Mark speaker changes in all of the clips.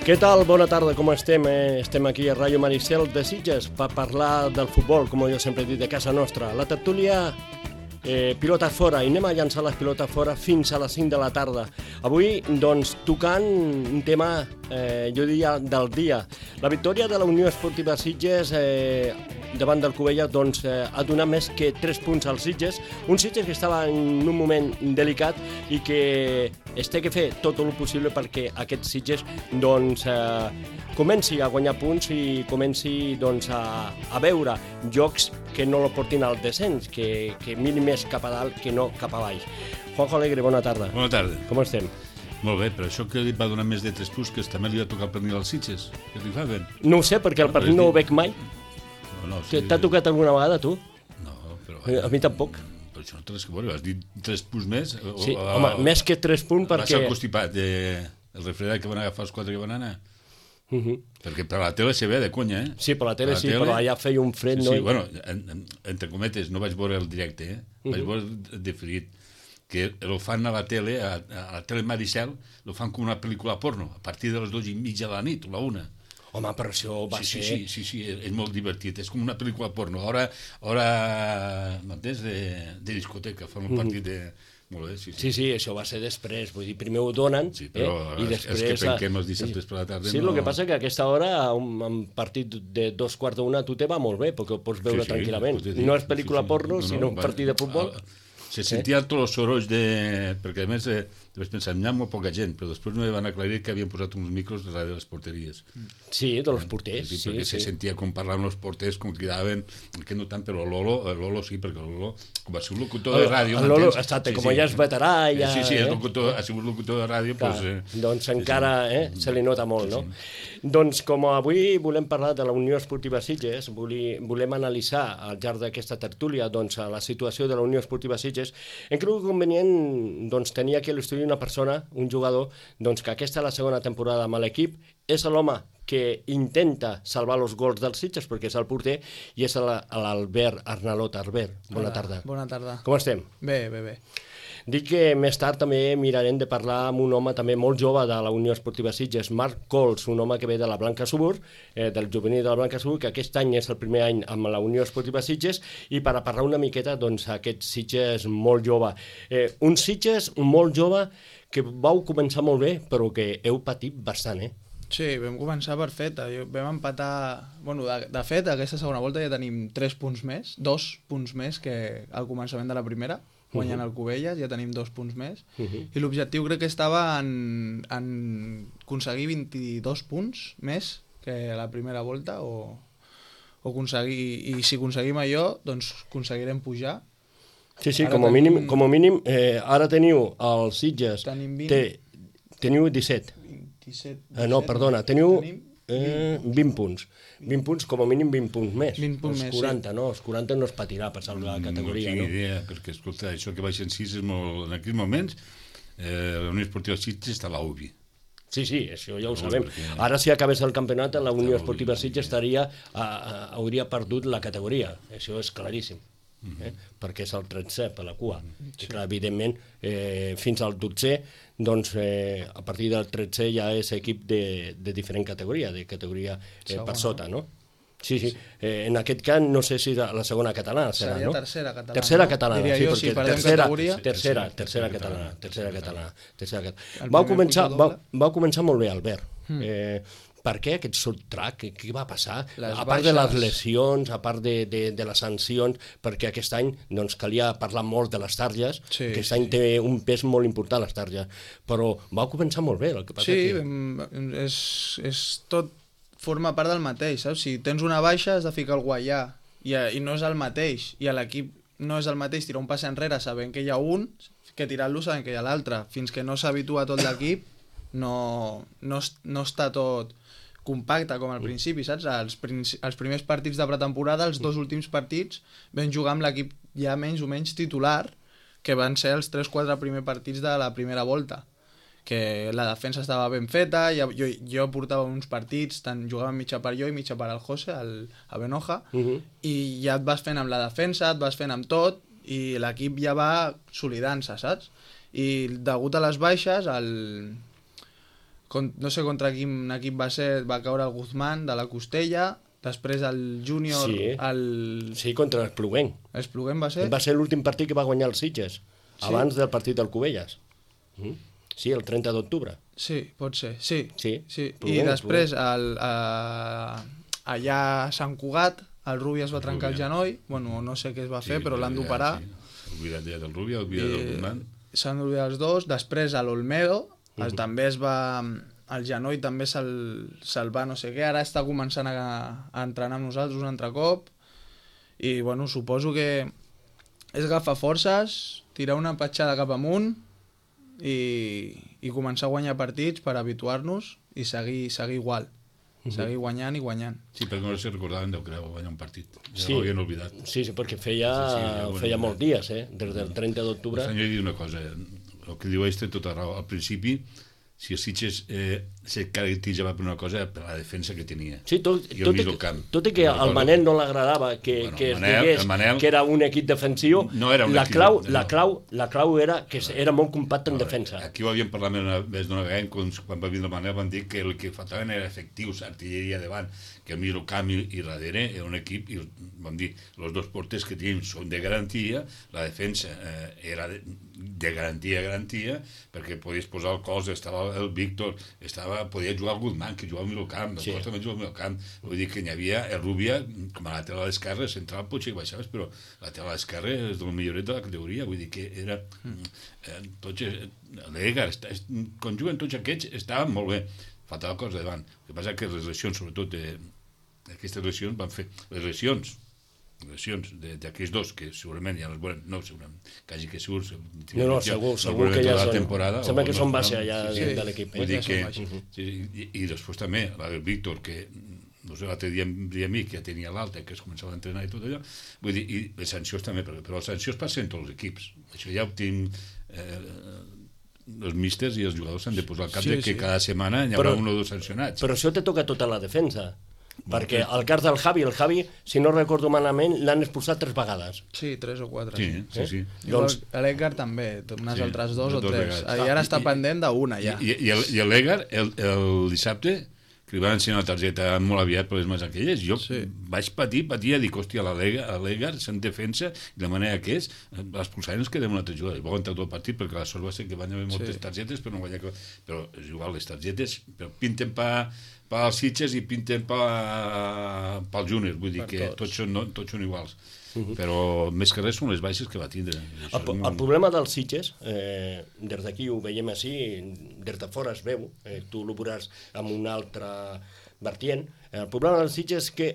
Speaker 1: Què tal? Bona tarda, com estem? Estem aquí a Ràdio Maricel de Sitges per parlar del futbol, com jo sempre he dit, de casa nostra. La tertúlia pilotes fora, i anem a llançar les pilotes fora fins a les 5 de la tarda. Avui, doncs, tocant un tema, jo diria, del dia. La victòria de la Unió Esportiva Sitges davant del Cubelles doncs, ha donat més que 3 punts als Sitges, un Sitges que estava en un moment delicat i que es té que fer tot el possible perquè aquest Sitges doncs, comenci a guanyar punts i comenci doncs, a veure jocs que no lo portin al descens, que miri més cap a dalt que no cap a baix. Juanjo Alegre, bona tarda.
Speaker 2: Bona tarda.
Speaker 1: Com estem?
Speaker 2: Molt bé, però això que li va donar més de 3 punts, que també li va tocar el pernil als Sitges, que li fa bé.
Speaker 1: No ho sé, perquè el pernil no ho veig mai.
Speaker 2: No, sí.
Speaker 1: T'ha tocat alguna vegada, tu?
Speaker 2: No, però...
Speaker 1: A mi tampoc.
Speaker 2: Però això no té res que veure, has dit 3 punts més.
Speaker 1: Sí, home, més que 3 punts perquè...
Speaker 2: Va ser el constipat, el refredat que van agafar els 4 que van anar. Perquè per la tele se ve de conya, eh?
Speaker 1: Sí, per la tele sí, però allà feia un fred, no?
Speaker 2: Sí, bueno, entre cometes, no vaig veure el directe, vaig veure diferit, que lo fan a la tele, a la tele Maricel, lo fan com una pel·lícula porno, a partir de les 2:30 de la nit, o la 1.
Speaker 1: Home, però això va ser...
Speaker 2: Sí, és molt divertit, és com una pel·lícula porno. Ara m'entens, de discoteca, fan un partit de... Molt bé, sí.
Speaker 1: Sí, això va ser després, vull dir, primer ho donen,
Speaker 2: sí, però
Speaker 1: i després...
Speaker 2: És que penquem els dissabtes per la tarda...
Speaker 1: Sí, el que passa que a aquesta hora, un partit de 2:15 a tu te va molt bé, perquè ho pots veure tranquil·lament. No és pel·lícula porno, sinó un partit de futbol.
Speaker 2: Se sentia tots els sorolls de... Perquè a més vaig pensar, hi ha molt poca gent, però després no van aclarir que havien posat uns micros darrere de les porteries.
Speaker 1: Sí, de los porters, sí.
Speaker 2: Perquè se sentia com parlaven els porters, com cridaven, que no tant, però Lolo sí, perquè Lolo, com va ser un locutor de ràdio...
Speaker 1: El Lolo, com ja és veterà...
Speaker 2: Sí, ha sigut locutor de ràdio...
Speaker 1: Doncs encara se li nota molt, no? Doncs com avui volem parlar de la Unió Esportiva Sitges, volem analitzar al llarg d'aquesta tertúlia la situació de la Unió Esportiva Sitges, hem cregut convenient tenir aquí a l'estudi una persona, un jugador, que aquesta és la segona temporada amb l'equip, és l'home que intenta salvar els gols dels Sitges perquè és el porter i és l'Albert Arnalot. Albert, bona tarda.
Speaker 3: Bona tarda.
Speaker 1: Com estem?
Speaker 3: Bé.
Speaker 1: Dic que més tard també mirarem de parlar amb un home també molt jove de la Unió Esportiva Sitges, Marc Cols, un home que ve de la Blanca Subur, del juvenil de la Blanca Subur, que aquest any és el primer any amb la Unió Esportiva Sitges, i per a parlar una miqueta aquest Sitges molt jove. Un Sitges molt jove que vau començar molt bé, però que heu patit bastant,
Speaker 3: Sí, vam començar per feta, vam empatar... Bueno, de fet, aquesta segona volta ja tenim 3 punts més, 2 punts més que al començament de la primera, guanyant el Cubelles, ja tenim 2 punts més, i l'objectiu crec que estava en aconseguir 22 punts més que la primera volta, o aconseguir, i si aconseguim allò, doncs aconseguirem pujar.
Speaker 1: Sí, com a mínim, ara teniu els Sitges, teniu 17. No, perdona, teniu 20 punts. 20 punts, com a mínim 20 punts més.
Speaker 3: 20 punts més,
Speaker 1: 40, no? Els 40 no es patirà per salvar la categoria, no?
Speaker 2: No tinc idea, perquè, escolta, això que baixen 6 és molt... En aquells moments, la Unió Esportiva Sitges està a l'UBI.
Speaker 1: Sí, això ja ho sabem. Ara, si acabés el campionat, la Unió Esportiva Sitges hauria perdut la categoria. Això és claríssim. Perquè és el 13è per la cua. Clar, evidentment, fins al 12è, doncs a partir del 13è ja és equip de diferent categoria, de categoria per sota, no? Sí. En aquest cas, no sé si la segona catalana serà, no?
Speaker 3: Seria tercera catalana.
Speaker 1: Tercera catalana,
Speaker 3: diria jo, si perdem categoria.
Speaker 1: Tercera catalana. Vau començar molt bé, Albert. Per què aquest sotrac? Què va passar? A part de les lesions, a part de les sancions, perquè aquest any calia parlar molt de les targes, aquest any té un pes molt important les targes, però va començar molt bé.
Speaker 3: És tot forma part del mateix, saps? Si tens una baixa has de ficar algú allà, i no és el mateix, i a l'equip no és el mateix tirar un pas enrere sabent que hi ha un, que tirar-lo sabent que hi ha l'altre. Fins que no s'habitua tot l'equip no està tot compacte com al principi, saps? Els primers partits de pretemporada, els 2 últims partits, vam jugar amb l'equip ja menys o menys titular, que van ser els 3-4 primers partits de la primera volta, que la defensa estava ben feta, jo portava uns partits, tant jugava mitja part jo i mitja part el José, a Benoja, i ja et vas fent amb la defensa, et vas fent amb tot, i l'equip ja va solidant-se, saps? I degut a les baixes, no sé contra quin equip va ser, va caure el Guzmán de la costella, després el júnior...
Speaker 1: Sí, contra l'Espluguenc.
Speaker 3: L'Espluguenc va ser?
Speaker 1: Va ser l'últim partit que va guanyar el Sitges, abans del partit del Cubelles. Sí, el 30 d'octubre.
Speaker 3: Sí, pot ser, sí.
Speaker 1: Pluguenc,
Speaker 3: I després allà a Sant Cugat el Rubi es va trencar el genoll, bueno, no sé què es va fer, però l'han d'operar.
Speaker 2: Oblidat ja del Rubi, oblidat del Guzmán.
Speaker 3: S'han d'oblidar els dos. Després a l'Olmedo també es va... El genoll també se'l va no sé què, ara està començant a entrenar amb nosaltres un altre cop i bueno, suposo que és agafar forces, tirar una petjada cap amunt i començar a guanyar partits per habituar-nos i seguir igual. Seguir guanyant i guanyant.
Speaker 2: Sí, perquè no se recordaven del que era guanyar un partit. Ja ho havien oblidat.
Speaker 1: Sí, perquè feia molts dies, des del 30 d'octubre.
Speaker 2: Jo he dit una cosa, el que diu té tota raó. Al principi, si el Sitges se caracteritzava per una cosa, per la defensa que tenia.
Speaker 1: Sí, tot i que al Manel no l'agradava que es digués que era un equip defensiu, la clau era que era molt compacte en defensa.
Speaker 2: Aquí ho havíem parlat més d'una vegada, quan va vindre el Manel van dir que el que faltaven era efectius, artilleria davant, que el mig camp i darrere era un equip, i vam dir, els dos porters que tenim són de garantia, la defensa era de garantia, perquè podies posar el cos, estava el Víctor, podia jugar el Guzmán, que jugava al mig camp, el Costa també jugava al mig camp, vull dir que n'hi havia el Rubia, com a lateral esquerre, central potser que baixaves, però lateral esquerre és del milloret de la categoria, vull dir que era l'Egar, quan juguen tots aquests estaven molt bé, faltava cosa davant. El que passa que les lesions, sobretot aquestes lesions, van fer les lesions d'aquells dos, que segurament ja les veurem, no segurament, quasi que segur
Speaker 1: que ja són, sembla que són baixa ja de l'equip.
Speaker 2: I després també la del Víctor, que no sé, l'altre dia em deia a mi que ja tenia l'alta, que es començava a entrenar i tot allò, vull dir, i les sancions també, però les sancions passen en tots els equips, això ja ho tinc els místers i els jugadors s'han de posar al cap que cada setmana hi haurà un o dos sancionats.
Speaker 1: Però això te toca tota la defensa, perquè el cas del Javi, si no recordo malament, l'han expulsat 3 vegades.
Speaker 3: Sí, 3 o 4.
Speaker 2: Sí.
Speaker 3: L'Edgar també, unes altres 2 o 3. I ara està pendent d'una, ja.
Speaker 2: I l'Edgar, el dissabte, que li van ensenyar la targeta molt aviat per les mans aquelles, jo vaig patir a dir, hòstia, l'Edgar se'n defensa, i la manera que és, l'expulsaren es quedem una altra jugada, i va aguantar tot el partit, perquè la sort va ser que van haver moltes targetes, però no guanyar... Però és igual, les targetes pinten pel Sitges i pinten pel Júnior, vull dir que tots són iguals. Però més que res són les baixes que va tindre.
Speaker 1: El problema dels Sitges, des d'aquí ho veiem així, des de fora es veu, tu ho veuràs amb un altre vertient, el problema dels Sitges és que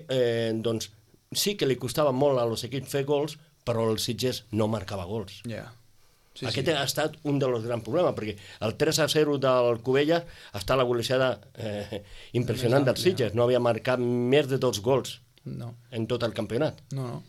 Speaker 1: sí que li costava molt als equips fer gols, però el Sitges no marcava gols. Aquest ha estat un dels grans problemes, perquè el 3-0 del Cubelles està la golejada impressionant dels Sitges, no havia marcat més de 2 gols en tot el campionat.
Speaker 3: No.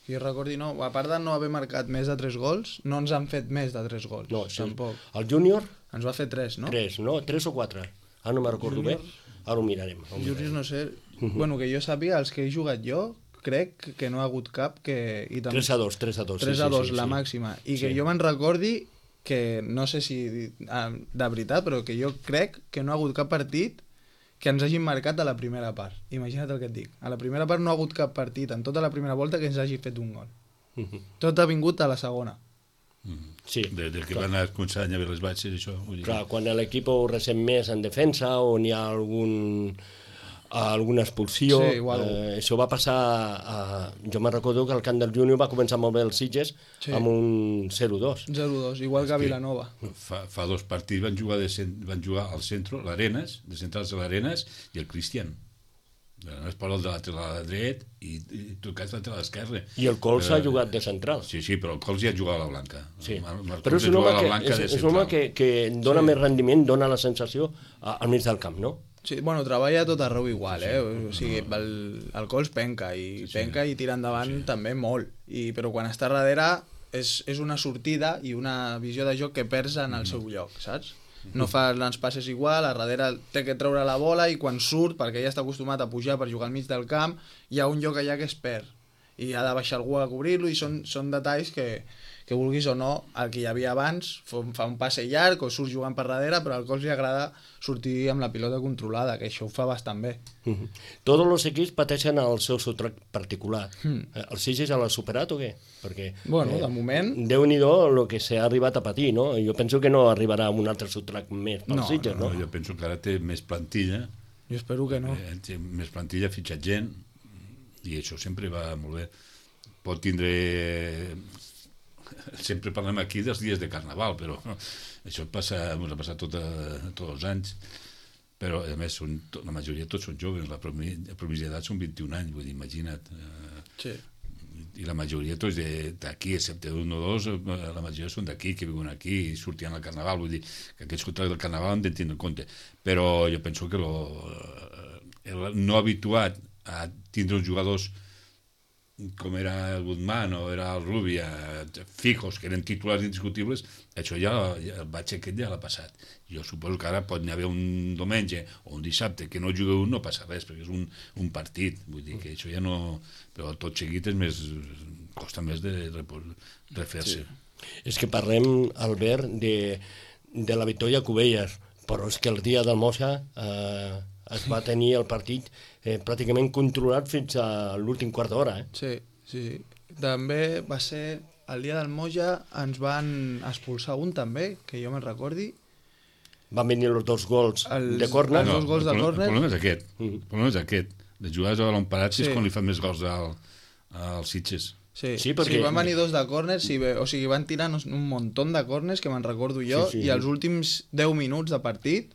Speaker 3: Que jo recordi, no. A part de no haver marcat més de 3 gols, no ens han fet més de 3 gols.
Speaker 1: No,
Speaker 3: tampoc.
Speaker 1: El júnior...
Speaker 3: Ens va fer 3, no?
Speaker 1: 3 o 4. Ara no me'n recordo bé. Ara ho mirarem.
Speaker 3: Júnior, no sé. Bueno, que jo sàpiga, els que he jugat jo, crec que no ha hagut cap que...
Speaker 1: 3-2.
Speaker 3: 3-2, la màxima. I que jo me'n recordi que, no sé si de veritat, però que jo crec que no ha hagut cap partit que ens hagin marcat a la primera part. Imagina't el que et dic. A la primera part no ha hagut cap partit en tota la primera volta que ens hagi fet un gol. Tot ha vingut a la segona.
Speaker 1: Sí.
Speaker 2: Des que van començar a haver les baixes, això.
Speaker 1: Clar, quan l'equip ho ressent més en defensa o n'hi ha alguna expulsió, això va passar jo me'n recordo que el camp del Júnior va començar molt bé els Sitges amb un 0-2,
Speaker 3: igual que a Vilanova.
Speaker 2: Fa 2 partits van jugar al centre l'Arenas, de centrals de l'Arenas i el Cristian. Es posa el de lateral dret i tu cas lateral esquerre.
Speaker 1: I el Cols ha jugat de central.
Speaker 2: Sí, però el Cols ja jugava a la Blanca.
Speaker 1: Però és un home que dona més rendiment, dona la sensació al mig del camp, no?
Speaker 3: Sí, bueno, treballa tot arreu igual, o sigui, el Cols penca i tira endavant també molt, però quan està darrere és una sortida i una visió de joc que perds en el seu lloc, saps? No fa els passes igual, a darrere té que treure la bola i quan surt, perquè ja està acostumat a pujar per jugar al mig del camp, hi ha un lloc allà que es perd i ha de baixar algú a cobrir-lo i són detalls que que vulguis o no, el que hi havia abans fa un passe llarg o surt jugant per darrere, però al Cols li agrada sortir amb la pilota controlada, que això ho fa bastant bé.
Speaker 1: Tots els equips pateixen el seu sotrac particular. El Sitges l'ha superat o què? Perquè,
Speaker 3: Bueno, de moment...
Speaker 1: Déu-n'hi-do el que s'ha arribat a patir, no? Jo penso que no arribarà un altre sotrac més pel Sitges, no?
Speaker 2: Jo penso que ara té més plantilla.
Speaker 3: Jo espero que no.
Speaker 2: Té més plantilla, ha fitxat gent, i això sempre va molt bé. Pot tindre... Sempre parlem aquí dels dies de Carnaval, però això ens ha passat tots els anys. Però, a més, la majoria tots són joves, la província d'edat són 21 anys, vull dir, imagina't.
Speaker 3: Sí.
Speaker 2: I la majoria tots d'aquí, excepte un o dos, la majoria són d'aquí, que viuen aquí i sortien al Carnaval, vull dir, que aquests contractes del Carnaval han de tindre en compte. Però jo penso que el no habituat a tindre uns jugadors com era el Guzmán o era el Rubia, fijos, que eren titulars indiscutibles, això ja el batx aquest ja l'ha passat. Jo suposo que ara pot haver un diumenge o un dissabte que no juga un, no passa res, perquè és un partit, vull dir que això ja no... Però tot seguit és més... costa més de refer-se.
Speaker 1: Sí. És que parlem, Albert, de la victòria a Cubelles, però és que el dia del Mosa es va tenir el partit pràcticament controlat fins a l'últim quart d'hora.
Speaker 3: Sí. També va ser el dia del Moja, ens van expulsar un també, que jo me'n recordi.
Speaker 1: Van venir els dos gols de córner.
Speaker 3: Els dos gols de córner.
Speaker 2: El problema és aquest. El problema és aquest. De jugar a balon parat és quan li fan més gols als Sitges.
Speaker 3: Sí, perquè... van venir dos de córners, o sigui, van tirar un muntó de córners, que me'n recordo jo, i els últims 10 minuts de partit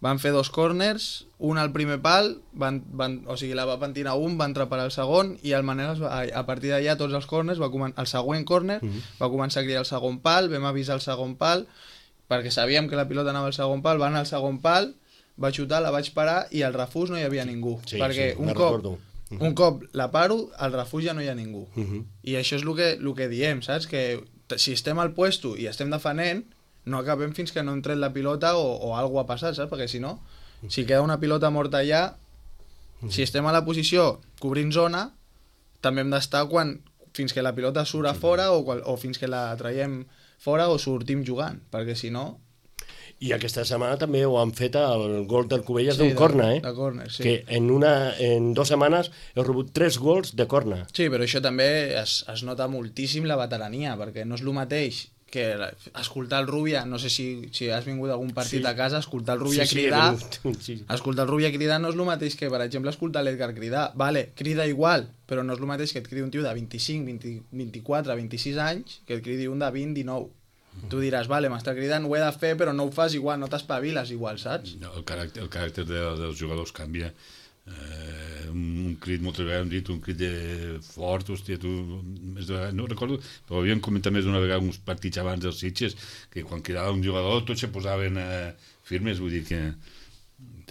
Speaker 3: van fer dos córners, un al primer pal, o sigui, la van tirar un, va entrar per al segon, i el Manel, a partir d'allà, tots els córners, el següent córner, va començar a cridar el segon pal, vam avisar el segon pal, perquè sabíem que la pilota anava al segon pal, va anar al segon pal, va xutar, la vaig parar, i al refús no hi havia ningú. Perquè un cop la paro, al refús ja no hi ha ningú. I això és el que diem, saps? Que si estem al puesto i estem defenent, no acabem fins que no hem tret la pilota o alguna ha passat, saps? Perquè si no, si queda una pilota morta allà, si estem a la posició cobrint zona, també hem d'estar fins que la pilota surt a fora o fins que la traiem fora o sortim jugant, perquè si no...
Speaker 1: I aquesta setmana també ho han fet el gol del Cubelles d'un córner,
Speaker 3: de córner, sí.
Speaker 1: Que en 2 setmanes he rebut 3 gols de córner.
Speaker 3: Sí, però això també es nota moltíssim la veterania, perquè no és el mateix que escoltar el Rubia, no sé si has vingut a algun partit a casa, escoltar el Rubia cridar, escoltar el Rubia cridar no és el mateix que, per exemple, escoltar l'Edgar cridar. Vale, crida igual, però no és el mateix que et cridi un tio de 25, 24, 26 anys que et cridi un de 20, 19. Tu diràs, vale, m'està cridant, ho he de fer, però no ho fas igual, no t'espaviles igual, saps?
Speaker 2: No, el caràcter dels jugadors canvia. Un crit, moltes vegades hem dit, un crit fort, hòstia, no recordo, però havíem comentat més d'una vegada uns partits abans dels Sitges, que quan quedava un jugador tots se posaven firmes, vull dir que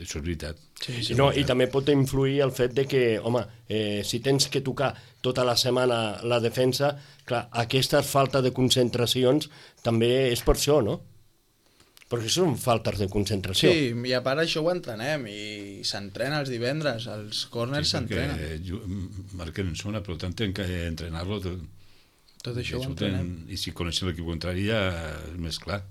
Speaker 2: això és veritat.
Speaker 1: Sí, no, i també pot influir el fet de que, home, si tens que tocar tota la setmana la defensa, clar, aquesta falta de concentracions també és per això, no? Perquè són faltes de concentració.
Speaker 3: Sí, i a part això ho entrenem, i s'entrena els divendres, els córners s'entrenen.
Speaker 2: Marquen en zona, però tant tenen que entrenar-lo.
Speaker 3: Tot això ho entrenem.
Speaker 2: I si coneixen l'equip contrari ja és més clar.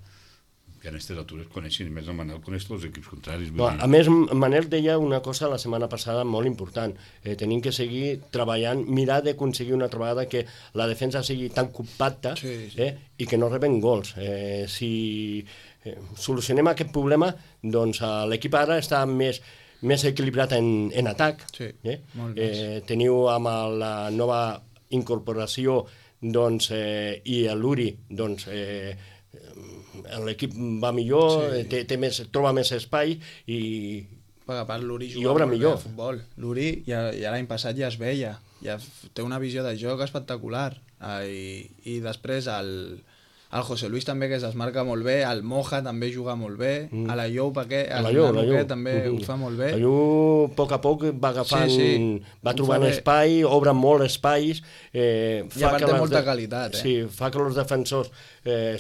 Speaker 2: Que en aquestes altures coneixen, i més el Manel coneix els equips contraris.
Speaker 1: A més, Manel deia una cosa la setmana passada molt important. Tenim que seguir treballant, mirar d'aconseguir una altra vegada que la defensa sigui tan compacta i que no reben gols. Si solucionem aquest problema, doncs l'equip ara està més equilibrat en atac.
Speaker 3: Molt més.
Speaker 1: Teniu amb la nova incorporació i l'Uri, l'equip va millor, troba més espai i
Speaker 3: a part l'Uri
Speaker 1: juga molt millor
Speaker 3: a futbol. L'Uri ja l'any passat ja es veia, ja té una visió de joc espectacular, i després el José Luis també, que es desmarca molt bé, el Moja també juga molt bé, a la Llop també ho fa molt bé.
Speaker 1: La Llop a poc va agafant, va trobant espai, obre molt espais,
Speaker 3: i a part té molta qualitat.
Speaker 1: Sí, fa que els defensors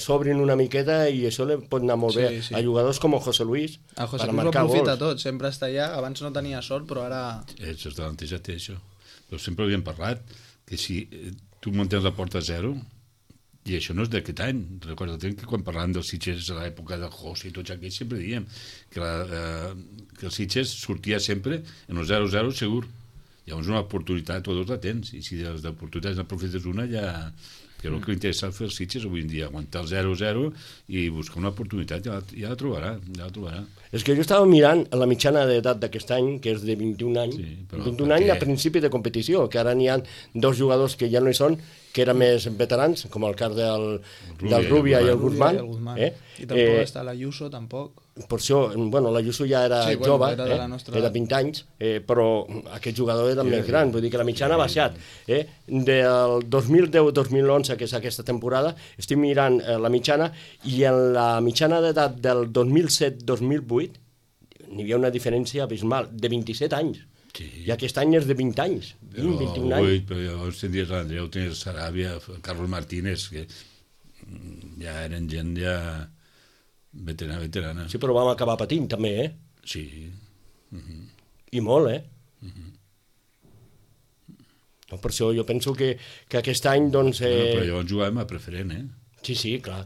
Speaker 1: s'obrin una miqueta i això li pot anar molt bé a jugadors com el José Luis.
Speaker 3: El José Luis ho aprofita tot, sempre està allà, abans no tenia sort, però ara...
Speaker 2: Els davanters ja té això. Però sempre havíem parlat que si tu mantens la porta a 0, I això no és d'aquest any. Recorda't que quan parlàvem dels Sitges a l'època de José i tots aquells sempre diem que el Sitges sortia sempre en el 0-0 segur. Llavors una oportunitat o dos la tens, i si de les oportunitats n'aprofites una ja... Que és el que li interessa fer els Sitges avui en dia, aguantar el 0-0 i buscar una oportunitat, ja la trobarà.
Speaker 1: És que jo estava mirant la mitjana d'edat d'aquest any, que és de 21 anys, 21 anys a principi de competició, que ara n'hi ha 2 jugadors que ja no hi són, que eren més veterans, com el cas del Rubia i el Guzmán.
Speaker 3: I tampoc està l'Ayuso, tampoc.
Speaker 1: Per això, bueno, l'Ayuso ja era jove, era 20 anys, però aquest jugador era més gran, vull dir que la mitjana ha baixat. Del 2010-2011, que és aquesta temporada, estic mirant la mitjana, i en la mitjana d'edat del 2007-2008 n'hi havia una diferència abismal, de 27 anys. Sí. I aquest any és de 20 anys, 21 anys.
Speaker 2: Però llavors tindries l'Andreu, tenies Saràbia, Carlos Martínez, que ja eren gent veterana.
Speaker 1: Sí, però vam acabar patint també,
Speaker 2: Sí.
Speaker 1: I molt, No, per això jo penso que aquest any, doncs...
Speaker 2: Però llavors jugàvem a preferent,
Speaker 1: Sí, clar,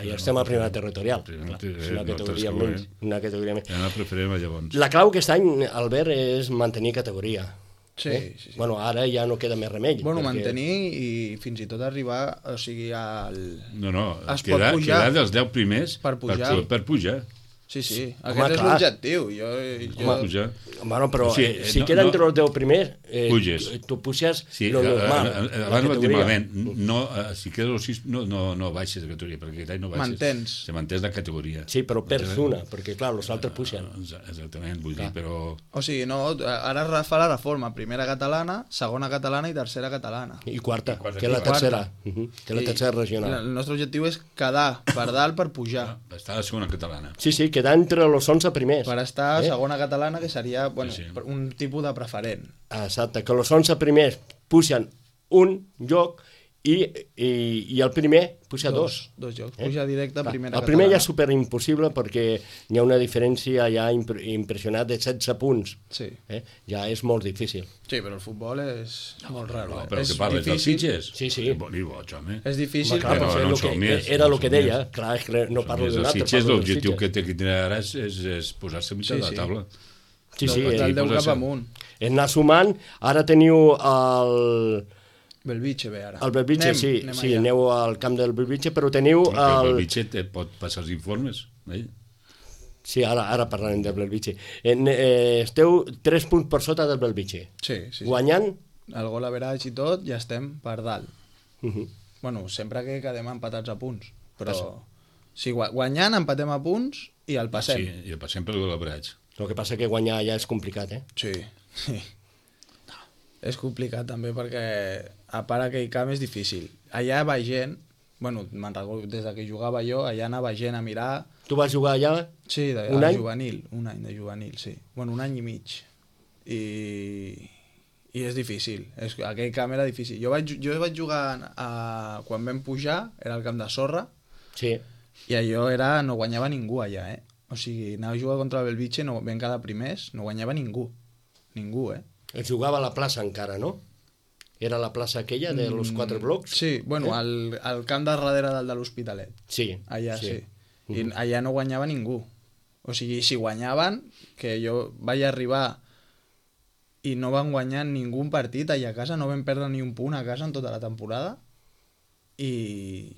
Speaker 1: ja estem a primera territorial. És una categoria menys.
Speaker 2: Ja no preferim llavors.
Speaker 1: La clau aquest any, Albert, és mantenir categoria.
Speaker 3: Sí.
Speaker 1: Bueno, ara ja no queda més remei.
Speaker 3: Bueno, mantenir i fins i tot arribar, o sigui, al...
Speaker 2: No, quedar dels 10 primers per pujar.
Speaker 3: Sí, aquest és l'objectiu.
Speaker 1: Bueno, però si queda entre els 10 primers, tu puges lo normal.
Speaker 2: Abans ho dic malament, si quedes els 6 no baixes de categoria, perquè aquest any no baixes. Se mantens la categoria.
Speaker 1: Sí, però perds una, perquè clar, els altres pugen.
Speaker 2: Exactament, vull dir, però...
Speaker 3: O sigui, no, ara es fa la reforma, primera catalana, segona catalana i tercera catalana.
Speaker 1: I quarta, que és la tercera, que és la tercera regional.
Speaker 3: El nostre objectiu és quedar per dalt per pujar.
Speaker 2: Estar a la segona catalana.
Speaker 1: Sí, quedar entre els 11 primers.
Speaker 3: Per estar a segona catalana, que seria un tipus de preferent.
Speaker 1: Exacte, que els 11 primers pugen un lloc i el primer puja dos.
Speaker 3: Dos jocs, puja directe a primera catalana.
Speaker 1: El primer ja és superimpossible perquè hi ha una diferència ja impressionant de 16 punts.
Speaker 3: Sí.
Speaker 1: Ja és molt difícil.
Speaker 3: Sí, però el futbol és molt raro.
Speaker 2: Però que parles dels Sitges?
Speaker 1: Sí.
Speaker 3: És difícil.
Speaker 1: Era el que deia. Clar, no parlo d'un altre.
Speaker 2: Els Sitges, l'objectiu que té que tenir ara és posar-se a mitjà de la taula.
Speaker 1: Sí.
Speaker 3: El 10 cap amunt.
Speaker 1: És anar sumant. Ara teniu el...
Speaker 3: Belvitge ve ara.
Speaker 1: El Belvitge, sí, aneu al camp del Belvitge, però teniu...
Speaker 2: El Belvitge et pot passar els informes,
Speaker 1: Sí, ara parlarem del Belvitge. Esteu 3 punts per sota del Belvitge.
Speaker 3: Sí.
Speaker 1: Guanyant?
Speaker 3: El gol average i tot, ja estem per dalt. Bueno, sempre que quedem empatats a punts, però si guanyant empatem a punts i el passem.
Speaker 2: Sí, i el passem per gol average.
Speaker 1: El que passa que guanyar ja és complicat,
Speaker 3: Sí. És complicat també perquè a part aquell camp és difícil. Allà va gent, bueno, me'n recordo des que jugava jo, allà anava gent a mirar...
Speaker 1: Tu vas jugar allà?
Speaker 3: Sí,
Speaker 1: un any?
Speaker 3: Juvenil, un any de juvenil, sí. Bueno, un any i mig. I és difícil, aquell camp era difícil. Jo vaig jugar quan vam pujar, era el camp de sorra, i allò no guanyava ningú allà, O sigui, anava a jugar contra el Belvitge, vam quedar primers, no guanyava ningú. Ningú,
Speaker 1: Es jugava a la plaça encara, no? Era la plaça aquella de los 4 blocs?
Speaker 3: Sí, bueno, al camp de darrere del de l'Hospitalet.
Speaker 1: Sí.
Speaker 3: Allà sí. I allà no guanyava ningú. O sigui, si guanyaven, que jo vaig arribar i no van guanyar ningú partit allà a casa, no vam perdre ni un punt a casa en tota la temporada, i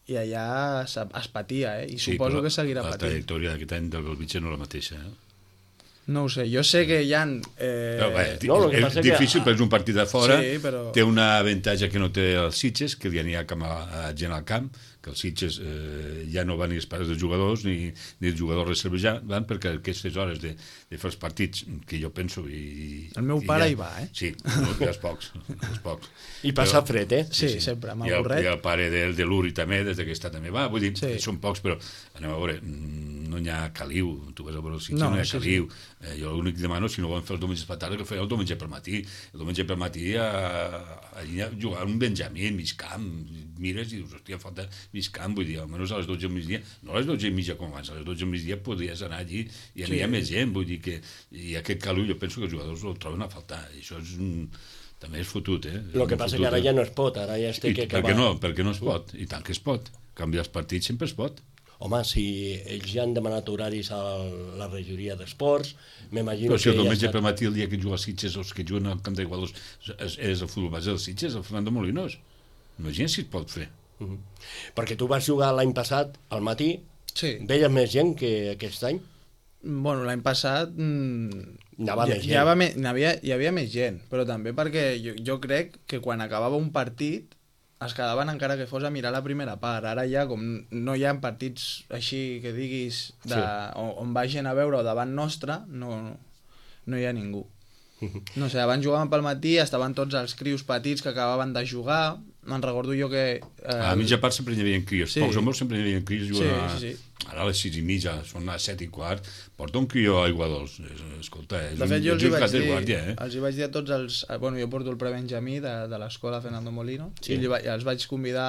Speaker 3: allà es patia, I suposo que seguirà patint.
Speaker 2: La trajectòria d'aquest any del Belvitge no és la mateixa,
Speaker 3: No ho sé, jo sé que hi ha...
Speaker 2: és difícil, però és un partit de fora, té un avantatge que no té els Sitges, que ja n'hi ha gent al camp, que els Sitges ja no van ni els pares dels jugadors ni els jugadors reserves ja van, perquè aquestes hores de fer els partits, que jo penso...
Speaker 3: El meu pare hi va,
Speaker 2: Sí, els pocs.
Speaker 1: I passa fred,
Speaker 3: Sí, sempre, amb el burret.
Speaker 2: I el pare de l'Uri també, des que està també va, vull dir, són pocs, però anem a veure, no hi ha caliu, tu vas a veure els Sitges, no hi ha caliu. Jo l'únic que demano, si no volen fer els diumenges per tarda, que feia el diumenge per matí. El diumenge per matí a jugar un Benjamí, mig camp, mires i dius, hòstia, falta mig camp, vull dir, almenys a les 12 del migdia, no a les 12 i mitja com abans, a les 12 del migdia podries anar allí i hi ha més gent, vull dir que i aquest caliu jo penso que els jugadors el troben a faltar, i això és També és fotut,
Speaker 1: El que passa que ara ja no es pot, ara ja es té que acabar.
Speaker 2: Per què no es pot? I tant que es pot. Canviar els partits sempre es pot.
Speaker 1: Home, si ells ja han demanat horaris a la regidoria d'esports, m'imagino
Speaker 2: que... Però si el diumenge
Speaker 1: per
Speaker 2: matí, el dia que juga a Sitges, els que juguen al camp d'Igualos, és el futbol base del Sitges, el Fernando Molinos. Imagina si es pot fer.
Speaker 1: Perquè tu vas jugar l'any passat al matí,
Speaker 3: Sí.
Speaker 1: veies més gent que aquest any?
Speaker 3: Bueno, l'any passat
Speaker 1: Anava més gent.
Speaker 3: hi havia més gent, però també perquè jo crec que quan acabava un partit es quedaven encara que fos a mirar la primera part. Ara ja, com no hi ha partits així que diguis on va gent a veure o davant nostre, no hi ha ningú. No sé, abans jugàvem pel matí, estaven tots els crios petits que acabaven de jugar. Me'n recordo jo que...
Speaker 2: A mitja part sempre hi havia crios, pocs o molts sempre hi havia crios.
Speaker 3: Sí.
Speaker 2: Ara a les 6:30, són les 7:15, porta un crió a Aiguadols. Escolta, és
Speaker 3: de fet, jo els hi vaig dir,
Speaker 2: guàrdia,
Speaker 3: els hi vaig dir a tots els... Bueno, jo porto el prebenjamí de l'escola Fernando Molino, i els vaig convidar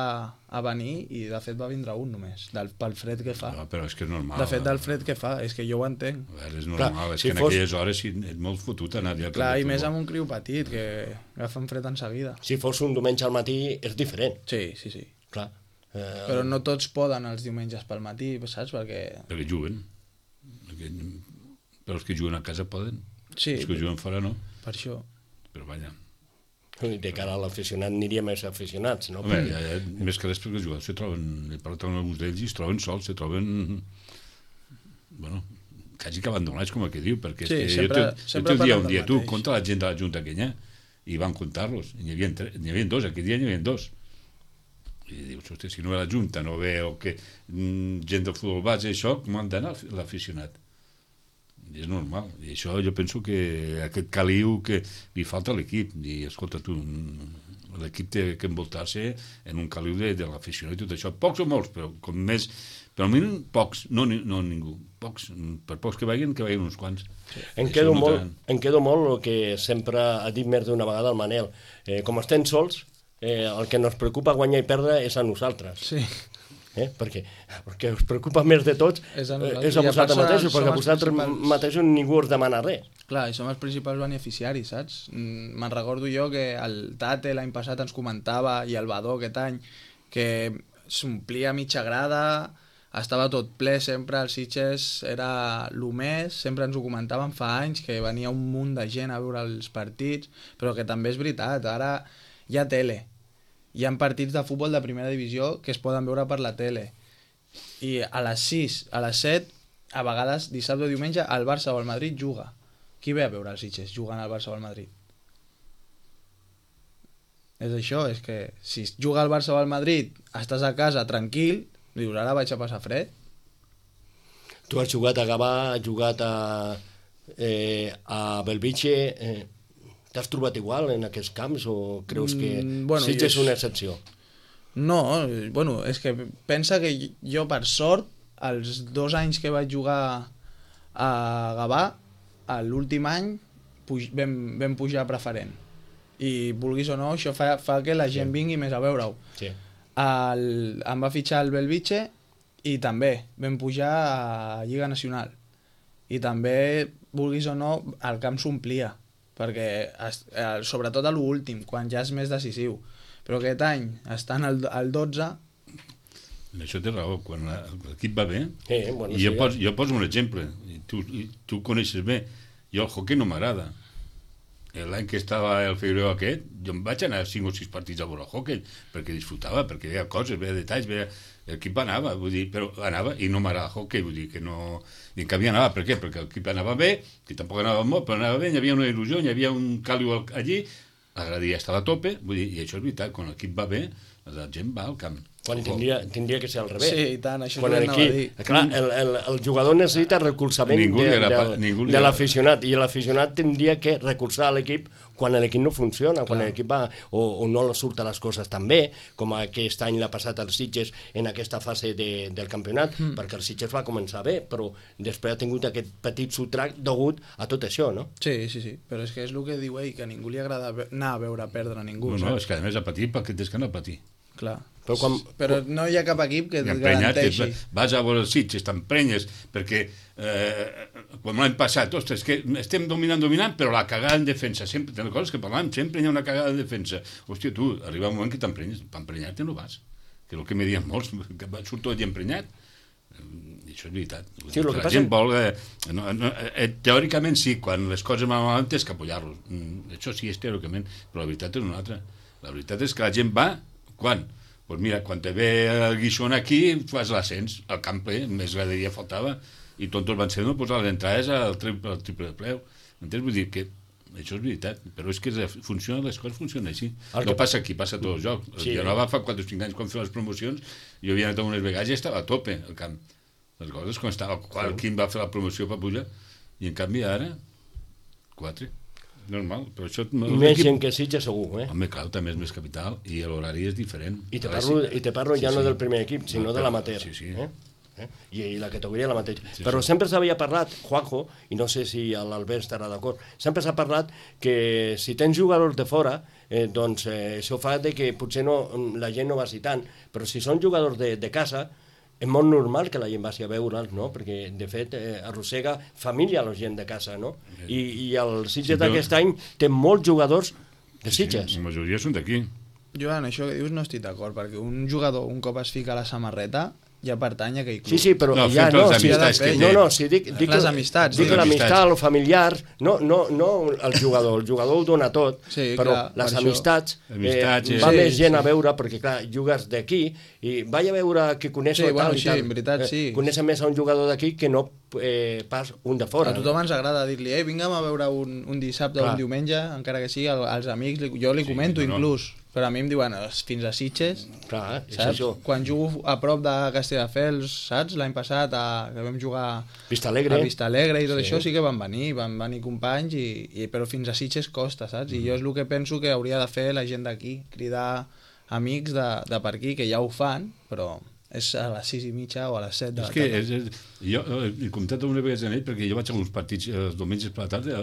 Speaker 3: a venir, i de fet va vindre un només, pel fred que fa.
Speaker 2: No, però és que és normal.
Speaker 3: De fet, del fred que fa, és que jo ho entenc.
Speaker 2: A veure, és normal, és que en aquelles hores és molt fotut anar allà.
Speaker 3: Clar, i més amb un criu petit, que agafen fred en seguida.
Speaker 1: Si fos un diumenge al matí, és diferent.
Speaker 3: Sí.
Speaker 1: Clar.
Speaker 3: Però no tots poden els diumenges pel matí, saps?
Speaker 2: Perquè juguen. Però els que juguen a casa poden.
Speaker 3: Sí.
Speaker 2: Els que juguen fora no.
Speaker 3: Per això.
Speaker 2: Però vaja.
Speaker 1: De cara a l'aficionat aniria més aficionats, no?
Speaker 2: Home, més que res perquè els jugadors se troben, he parlat amb alguns d'ells i es troben sols, se troben... Bueno, quasi que abandonats, com el que diu, perquè
Speaker 3: sí,
Speaker 2: és que jo te dia un dia, tu, compta la gent de la Junta aquella, i van comptar-los, n'hi havia dos, aquell dia n'hi havia dos. I dius, hosti, si no ve la Junta, no ve o que gent del futbol base, això, com han d'anar l'aficionat? I és normal, i això jo penso que aquest caliu que li falta a l'equip, i escolta tu, l'equip té que envoltar-se en un caliu de l'aficionat i tot això, pocs o molts, però com més, però almenys pocs, no ningú, pocs, per pocs que vagin uns quants.
Speaker 1: Em quedo molt el que sempre ha dit més d'una vegada el Manel, com estem sols, el que ens preocupa guanyar i perdre és a nosaltres.
Speaker 3: Sí.
Speaker 1: Perquè us preocupa més de tots és a vosaltres mateixos, perquè a vosaltres mateixos ningú us demana res.
Speaker 3: Clar, i som els principals beneficiaris, saps? Me'n recordo jo que el Tate l'any passat ens comentava, i el Badó aquest any, que s'omplia mitja grada, estava tot ple sempre, els Sitges era el més, sempre ens ho comentaven fa anys, que venia un munt de gent a veure els partits, però que també és veritat, ara hi ha tele. Hi ha partits de futbol de primera divisió que es poden veure per la tele. I a les 6, a les 7, a vegades, dissabte o diumenge, el Barça o el Madrid juga. Qui ve a veure els Sitges jugant al Barça o al Madrid? És això, és que si juga al Barça o al Madrid, estàs a casa tranquil, dius, ara vaig a passar fred.
Speaker 1: Tu has jugat a Gavà, has jugat a Belvitge... T'has trobat igual en aquests camps o creus que Sitges és una excepció?
Speaker 3: No, bueno, és que pensa que jo, per sort, els 2 anys que vaig jugar a Gavà, l'últim any vam pujar a preferent. I vulguis o no, això fa que la gent vingui més a veure-ho.
Speaker 1: Sí.
Speaker 3: Em va fitxar el Belvitge i també vam pujar a Lliga Nacional. I també, vulguis o no, el camp s'omplia, perquè sobretot a l'últim, quan ja és més decisiu, però aquest any estan al 12.
Speaker 2: Això té raó, quan l'equip va bé,
Speaker 1: bueno,
Speaker 2: i jo poso un exemple, tu coneixes bé, jo el hoquei no m'agrada. L'any que estava el Figueroa aquest, jo em vaig anar a 5 o 6 partits a veure el hoquei, perquè disfrutava, perquè veia coses, veia detalls, l'equip anava, vull dir, però anava i no m'agrada el hoquei, vull dir que no... I en canvi anava, per què? Perquè l'equip anava bé, que tampoc anava molt, però anava bé, hi havia una il·lusió, hi havia un càliu allí, la graderia estava a tope, vull dir, i això és veritat, quan l'equip va bé, la gent va al camp.
Speaker 1: Quan tindria que ser al revés.
Speaker 3: Sí, i tant, això és el que anava a dir.
Speaker 1: Clar, el jugador necessita recolzament de l'aficionat, i l'aficionat tindria que recolzar l'equip quan l'equip no funciona, quan l'equip va o no surten les coses tan bé, com aquest any l'ha passat als Sitges en aquesta fase del campionat, perquè el Sitges va començar bé, però després ha tingut aquest petit sotrac degut a tot això, no?
Speaker 3: Sí, però és que és el que diu ell, que a ningú li agrada anar a veure perdre a ningú.
Speaker 2: No, és que a més a patir perquè tens que anar a patir.
Speaker 3: Clar. Però no hi ha cap equip que et
Speaker 2: Emprenyat,
Speaker 3: garanteixi.
Speaker 2: vas a veure els Sitges, t'emprenyes, perquè com l'any passat, ostres, que estem dominant, però la cagada en defensa, sempre, de les coses que parlàvem, sempre hi ha una cagada en defensa. Hòstia, tu, arriba un moment que t'emprenyes, per emprenyar-te no vas, que és el que me diuen molts, que surt tot emprenyat. I això és veritat.
Speaker 1: Sí, el que
Speaker 2: la
Speaker 1: passa...
Speaker 2: gent vol... teòricament sí, quan les coses van malament tens que apoyar-los. Això sí, és teòricament, però la veritat és una altra. La veritat és que la gent va, quan? Pues mira, quan te ve el Guixón aquí, fas l'ascens, al camp ple, més graderia faltava, i tontos van ser no posar les entrades al triple de preu. Entens? Vull dir que això és veritat, però és que les coses funcionen així. No passa aquí, passa a tots els jocs. Sí, jo va fa 4 o 5 anys quan feia les promocions, jo havia anat a unes vegades i estava a tope al camp. Les coses, quan estava el Quim va fer la promoció per pujar, i en canvi ara 4. Normal, però això...
Speaker 1: Més gent que Sitges segur, eh?
Speaker 2: Home, clar, també és més capital i l'horari és diferent.
Speaker 1: I te parlo ja no del primer equip, sinó de l'amateur.
Speaker 2: Sí, sí.
Speaker 1: I la categoria la mateixa. Però sempre s'havia parlat, Juanjo, i no sé si l'Albert estarà d'acord, sempre s'ha parlat que si tens jugadors de fora, doncs això fa que potser la gent no vagi tant, però si són jugadors de casa, és molt normal que la gent vagi a veure'ls, no? Perquè, de fet, arrossega família a la gent de casa, no? I el Sitges d'aquest any té molts jugadors de Sitges.
Speaker 2: La majoria són d'aquí.
Speaker 3: Joan, això que dius no estic d'acord, perquè un jugador, un cop es fica a la samarreta, ja pertany a aquell club.
Speaker 1: Sí, però
Speaker 2: no,
Speaker 1: ja no,
Speaker 2: si
Speaker 1: dic
Speaker 3: les amistats.
Speaker 1: Dic l'amistat, el familiar, no el jugador ho dona tot,
Speaker 3: sí,
Speaker 1: però
Speaker 3: clar,
Speaker 1: les amistats va més gent a veure, perquè clar, jugues d'aquí i vaig a veure que coneixo tal i tal.
Speaker 3: En veritat, sí.
Speaker 1: Coneixen més a un jugador d'aquí que no pas un de fora.
Speaker 3: A tothom ens agrada dir-li, vinguem a veure un dissabte o un diumenge, encara que sigui als amics, jo li comento inclús. Però a mi em diuen, fins a Sitges,
Speaker 1: clar,
Speaker 3: saps? Quan jugo a prop de Castelldefels, saps? L'any passat, que vam jugar a Vistalegre i tot això, sí que van venir companys, però fins a Sitges costa, saps? I jo és el que penso que hauria de fer la gent d'aquí, cridar amics de per aquí, que ja ho fan, però és a les 6:30 o a les 7 de la tarda.
Speaker 2: Jo he comptat una vegada en ell, perquè jo vaig a uns partits els diumenges per la tarda,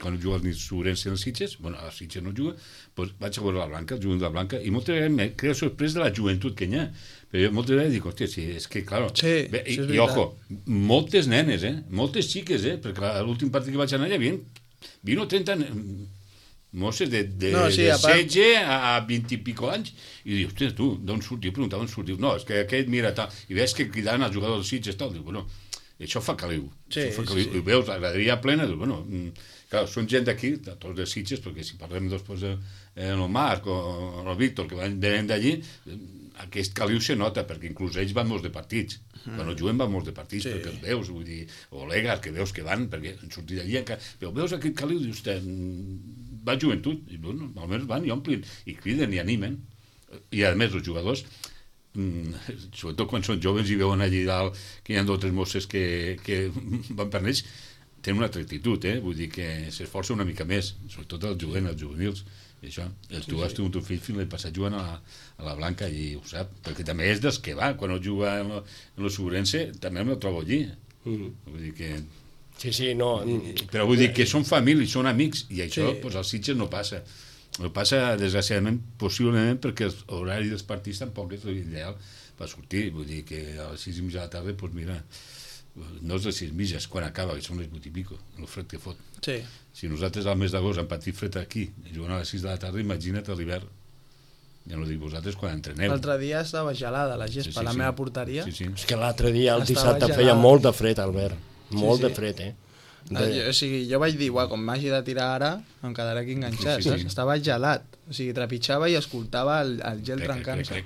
Speaker 2: quan juga el Sobrense en els Sitges, bueno, a Sitges no juga, doncs vaig a veure la Blanca, el jovent de la Blanca, i moltes vegades m'he creat sorpresa de la joventut que hi ha. Però jo moltes vegades dic, hòstia, sí, és que, claro, i ojo, moltes nenes, moltes xiques, perquè l'últim partit que vaig anar hi havia 20 o 30 mosses de 16 a 20 i pico anys, i dius, hòstia, tu, d'on surt? Jo preguntava on surt, diu, no, és que aquest mira tal, i veus que cridaven els jugadors dels Sitges tal, diu, bueno, això fa caliu, i veus la graderia plena, diu, bueno, clar, són gent d'aquí, tots de Sitges, perquè si parlem després el Marc o el Víctor, que venen d'allí, aquest caliu se nota, perquè inclús ells van molts de partits, quan juguen van molts de partits, perquè els veus, vull dir, o Legas, que veus que van, perquè han sortit d'allí, però veus aquest caliu, dius, va joventut, i bueno, almenys van i omplin, i criden i animen, i a més els jugadors, sobretot quan són joves i veuen allí dalt que hi ha 2 o 3 mosses que van per ells, tenen una actitud, vull dir que s'esforça una mica més, sobretot els jovents, els juvenils, i això, tu has tingut un fill fins l'any passat jugant a la Blanca i ho sap, perquè també és dels que va, quan no juga en el Sobrense també em trobo allí, vull dir que...
Speaker 1: Sí, no...
Speaker 2: Però vull dir que són famílies, són amics, i això als Sitges no passa. No passa, desgraciadament, possiblement perquè l'horari dels partits tampoc és l'ideal per sortir. Vull dir que a les 6:30 de la tarda, doncs mira, no és les 6:30, és quan acaba, que són les 8:00 i pico, el fred que fot.
Speaker 3: Sí.
Speaker 2: Si nosaltres al mes d'agost hem patit fred aquí, jugant a les 6 de la tarda, imagina't a l'hivern. Ja no dic vosaltres quan entreneu.
Speaker 3: L'altre dia estava gelada la gespa, la meva porteria.
Speaker 1: És que l'altre dia, el dissabte, feia molt de fred, Albert. Molt de fred,
Speaker 3: O sigui, jo vaig dir, quan m'hagi de tirar ara, em quedaré aquí enganxat, saps? Estava gelat. O sigui, trepitjava i escoltava el gel trencant-se.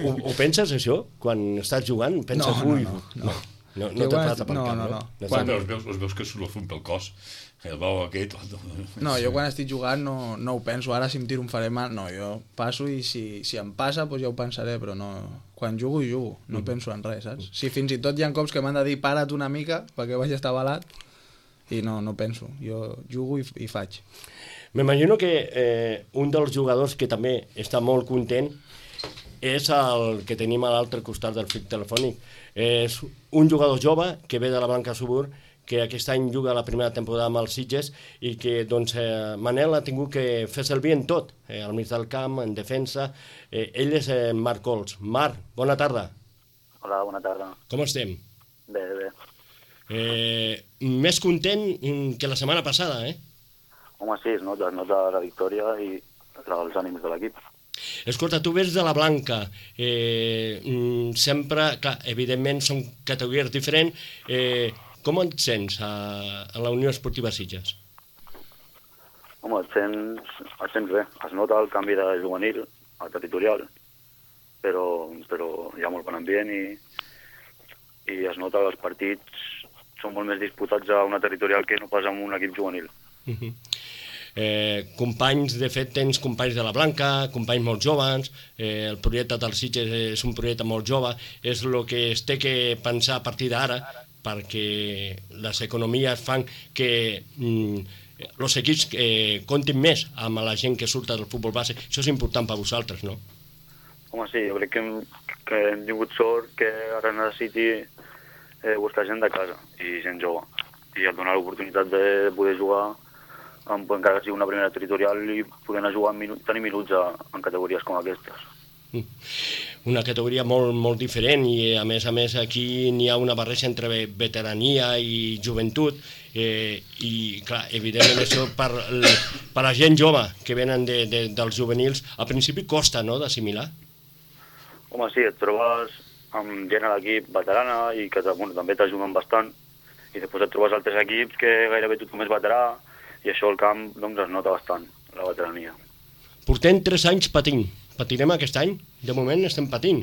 Speaker 1: Ho penses, això? Quan estàs jugant, penses, no te falta per cap, no?
Speaker 2: Quan els veus que surt el fum pel cos, el bou aquest...
Speaker 3: No, jo quan estic jugant no ho penso, ara si em tiro em faré mal, no, jo passo i si em passa, doncs ja ho pensaré, però no... Quan jugo, no penso en res, saps? Si fins i tot hi ha cops que m'han de dir para't una mica perquè vaig estar balat, i no penso, jo jugo i faig.
Speaker 1: M'imagino que un dels jugadors que també està molt content és el que tenim a l'altre costat del fil telefònic. És un jugador jove que ve de la Blanca Subur, que aquest any juga la primera temporada amb els Sitges i que doncs, Manel ha tingut que fer servir en tot, al mig del camp, en defensa. Ell és Marc Cols. Marc, bona tarda.
Speaker 4: Hola, bona tarda.
Speaker 1: Com estem?
Speaker 4: Bé, bé.
Speaker 1: Més content que la setmana passada,
Speaker 4: Home, sí, es nota la victòria i els ànims de l'equip.
Speaker 1: Escolta, tu vens de la Blanca, sempre, clar, evidentment són categories diferents, com et sents a la Unió Esportiva Sitges?
Speaker 4: Home, et sents bé, es nota el canvi de juvenil a territorial, però hi ha molt bon ambient i es nota que els partits són molt més disputats a una territorial que no pas en un equip juvenil.
Speaker 1: Companys, de fet tens companys de la Blanca, companys molt joves, el projecte dels Sitges és un projecte molt jove, és el que es té que pensar a partir d'ara, perquè les economies fan que els equips comptin més amb la gent que surta del futbol base. Això és important per vosaltres, no?
Speaker 4: Home, sí, jo crec que hem tingut sort que ara necessiti buscar gent de casa i gent jove, i et donar l'oportunitat de poder jugar encara que sigui una primera territorial i poder anar a jugar tenir minuts en categories com aquestes.
Speaker 1: Una categoria molt, molt diferent i a més aquí n'hi ha una barreja entre veterania i joventut i clar, evidentment això per la gent jove que venen dels juvenils al principi costa, no?, d'assimilar.
Speaker 4: Home, sí, et trobes amb gent a l'equip veterana i que també t'ajuden bastant i després et trobes altres equips que gairebé tothom és veterà i això al camp doncs, es nota bastant, la veterania.
Speaker 1: Portem 3 anys patint. Patirem aquest any? De moment estem patint.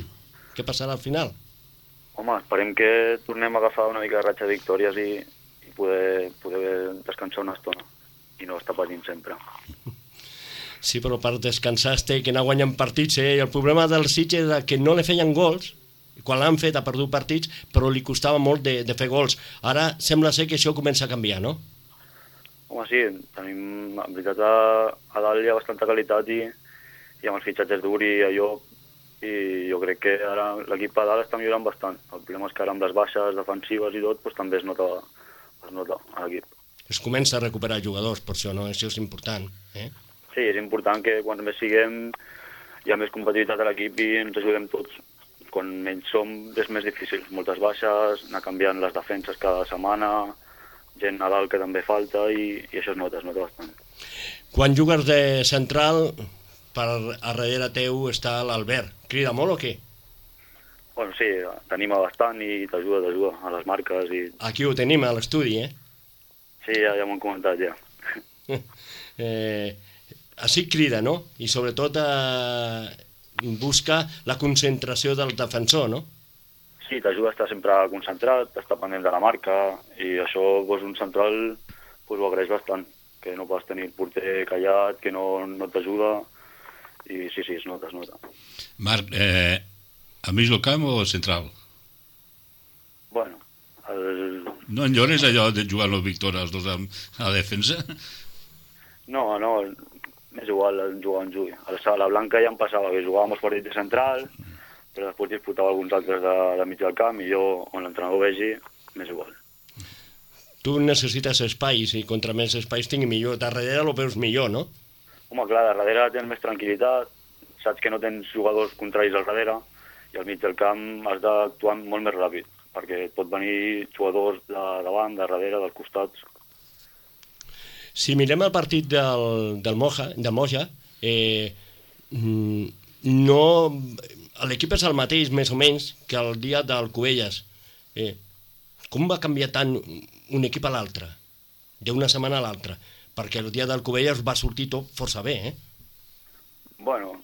Speaker 1: Què passarà al final?
Speaker 4: Home, esperem que tornem a agafar una mica de ratxa de victòries i poder descansar una estona i no estar patint sempre.
Speaker 1: Sí, però per descansar es té que anar guanyant partits, I el problema del Sitges és que no li feien gols, quan l'han fet ha perdut partits, però li costava molt de fer gols. Ara sembla ser que això comença a canviar, no?
Speaker 4: Home, sí, tenim, en veritat, a dalt hi ha bastanta qualitat i amb els fitxatges d'Uri i allò, i jo crec que ara l'equip a dalt està millorant bastant. El problema és que ara amb les baixes defensives i tot, doncs, també es nota a l'equip.
Speaker 1: Es comença a recuperar jugadors, per això, no? Això és important,
Speaker 4: Sí, és important que quan més siguem hi ha més competitivitat a l'equip i ens ajudem tots. Quan menys som és més difícil. Moltes baixes, anar canviant les defenses cada setmana, gent a dalt que també falta i això es nota bastant.
Speaker 1: Quan jugues de central, a darrere teu està l'Albert. Crida molt o què?
Speaker 4: Bueno, sí, t'anima bastant i t'ajuda a les marques.
Speaker 1: Aquí ho tenim, a l'estudi,
Speaker 4: Sí, ja m'ho han comentat, ja.
Speaker 1: Així crida, no? I sobretot busca la concentració del defensor, no?
Speaker 4: Sí, t'ajuda a estar sempre concentrat, a estar pendent de la marca, i això un central ho agraeix bastant, que no pots tenir el porter callat, que no t'ajuda, i sí, es nota.
Speaker 2: Marc, al mig del camp o central?
Speaker 4: Bueno,
Speaker 2: No enllores allò de jugar a Víctor els dos a la defensa?
Speaker 4: No, és igual jugar on jugui. A la Blanca ja em passava que jugàvem els partits de central, però després disputava alguns altres de mig del camp i jo, on l'entrenador vegi, m'és igual.
Speaker 1: Tu necessites espais i contra més espais tingui millor. Darrere ho veus millor, no?
Speaker 4: Home, clar, darrere tens més tranquil·litat, saps que no tens jugadors contraris al darrere i al mig del camp has d'actuar molt més ràpid, perquè et pot venir jugadors de davant, de darrere, dels costats.
Speaker 1: Si mirem el partit del Moja, no... l'equip és el mateix, més o menys, que el dia del Cubelles. Com va canviar tant un equip a l'altre, d'una setmana a l'altra? Perquè el dia del Cubelles va sortir tot força bé,
Speaker 4: Bueno,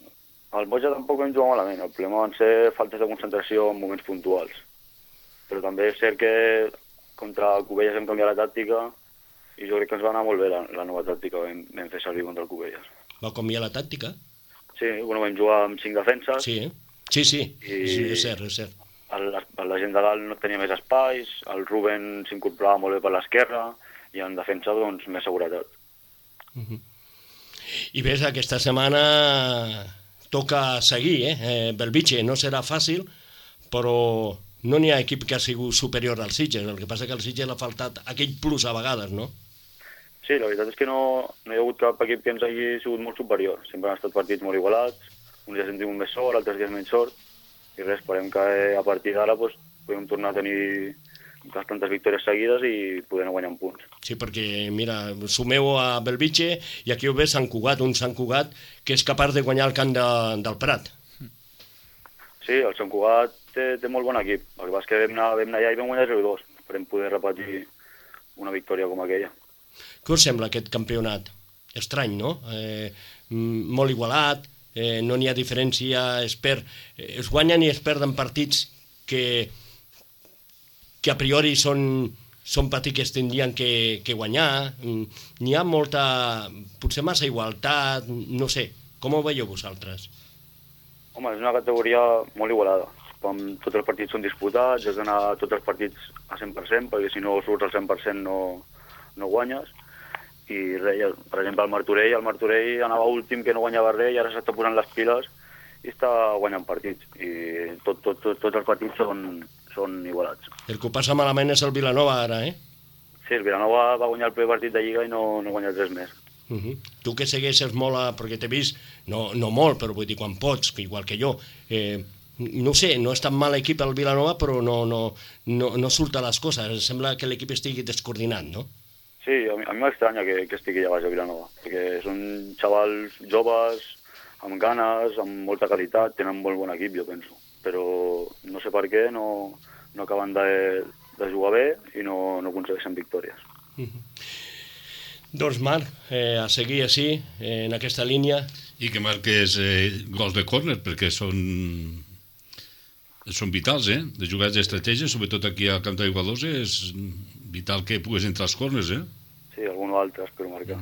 Speaker 4: al Moja tampoc vam jugar malament. El problema van ser faltes de concentració en moments puntuals. Però també és cert que contra el Cubelles hem canviat la tàctica i jo crec que ens va anar molt bé la nova tàctica que vam fer servir contra el Cubelles.
Speaker 1: Va canviar la tàctica?
Speaker 4: Sí, bueno, vam jugar amb 5 defenses.
Speaker 1: Sí, és cert.
Speaker 4: La gent de dalt no tenia més espais, el Ruben s'incorporava molt bé per l'esquerra i en defensa, doncs, més seguretat.
Speaker 1: I ves, aquesta setmana toca seguir, Belvitge. No serà fàcil, però no n'hi ha equip que ha sigut superior al Sitges, el que passa que al Sitges l'ha faltat aquell plus a vegades, no?
Speaker 4: Sí, la veritat és que no hi ha hagut cap equip que ens hagi sigut molt superior. Sempre han estat partits molt igualats, uns dies hem tingut més sort, altres dies menys sort, i res, esperem que a partir d'ara podem tornar a tenir bastantes victòries seguides i podem guanyar punts.
Speaker 1: Sí, perquè, mira, sumeu a Belvitge i aquí ho ve Sant Cugat, un Sant Cugat que és capaç de guanyar el camp del Prat.
Speaker 4: Sí, el Sant Cugat té molt bon equip. El que passa és que vam anar allà i vam guanyar 0-2. Esperem poder repetir una victòria com aquella.
Speaker 1: Què us sembla aquest campionat? Estrany, no? Molt igualat, no n'hi ha diferència, es guanyen i es perden partits que a priori són partits que es tindrien que guanyar. N'hi ha potser massa igualtat, no sé. Com ho veieu vosaltres?
Speaker 4: Home, és una categoria molt igualada. Tots els partits són disputats, has d'anar tots els partits a 100%, perquè si no surts al 100% no guanyes. I res, per exemple, el Martorell anava últim, que no guanyava res, i ara s'està posant les piles i està guanyant partits. I tots els partits són igualats.
Speaker 1: El que ho passa malament és el Vilanova ara, eh?
Speaker 4: Sí, el Vilanova va guanyar el primer partit de Lliga i no guanya res més.
Speaker 1: Tu que segueixes molt, perquè t'he vist, no molt, però vull dir quan pots, que igual que jo, no sé, no és tan mal equip el Vilanova, però no surten les coses, sembla que l'equip estigui descoordinat, no?
Speaker 4: Sí, a mi m'estranya que estigui allà baix a Vilanova, perquè són xavals joves, amb ganes, amb molta qualitat, tenen molt bon equip, jo penso, però no sé per què no acaben de jugar bé i no aconsegueixen victòries.
Speaker 1: Doncs Marc, a seguir així, en aquesta línia.
Speaker 2: I que marques gols de córner, perquè són vitals, de jugades d'estratègia, sobretot aquí al camp d'Aiguadosa, és vital que puguis entrar als córners,
Speaker 4: Sí, algun altre espero marcar.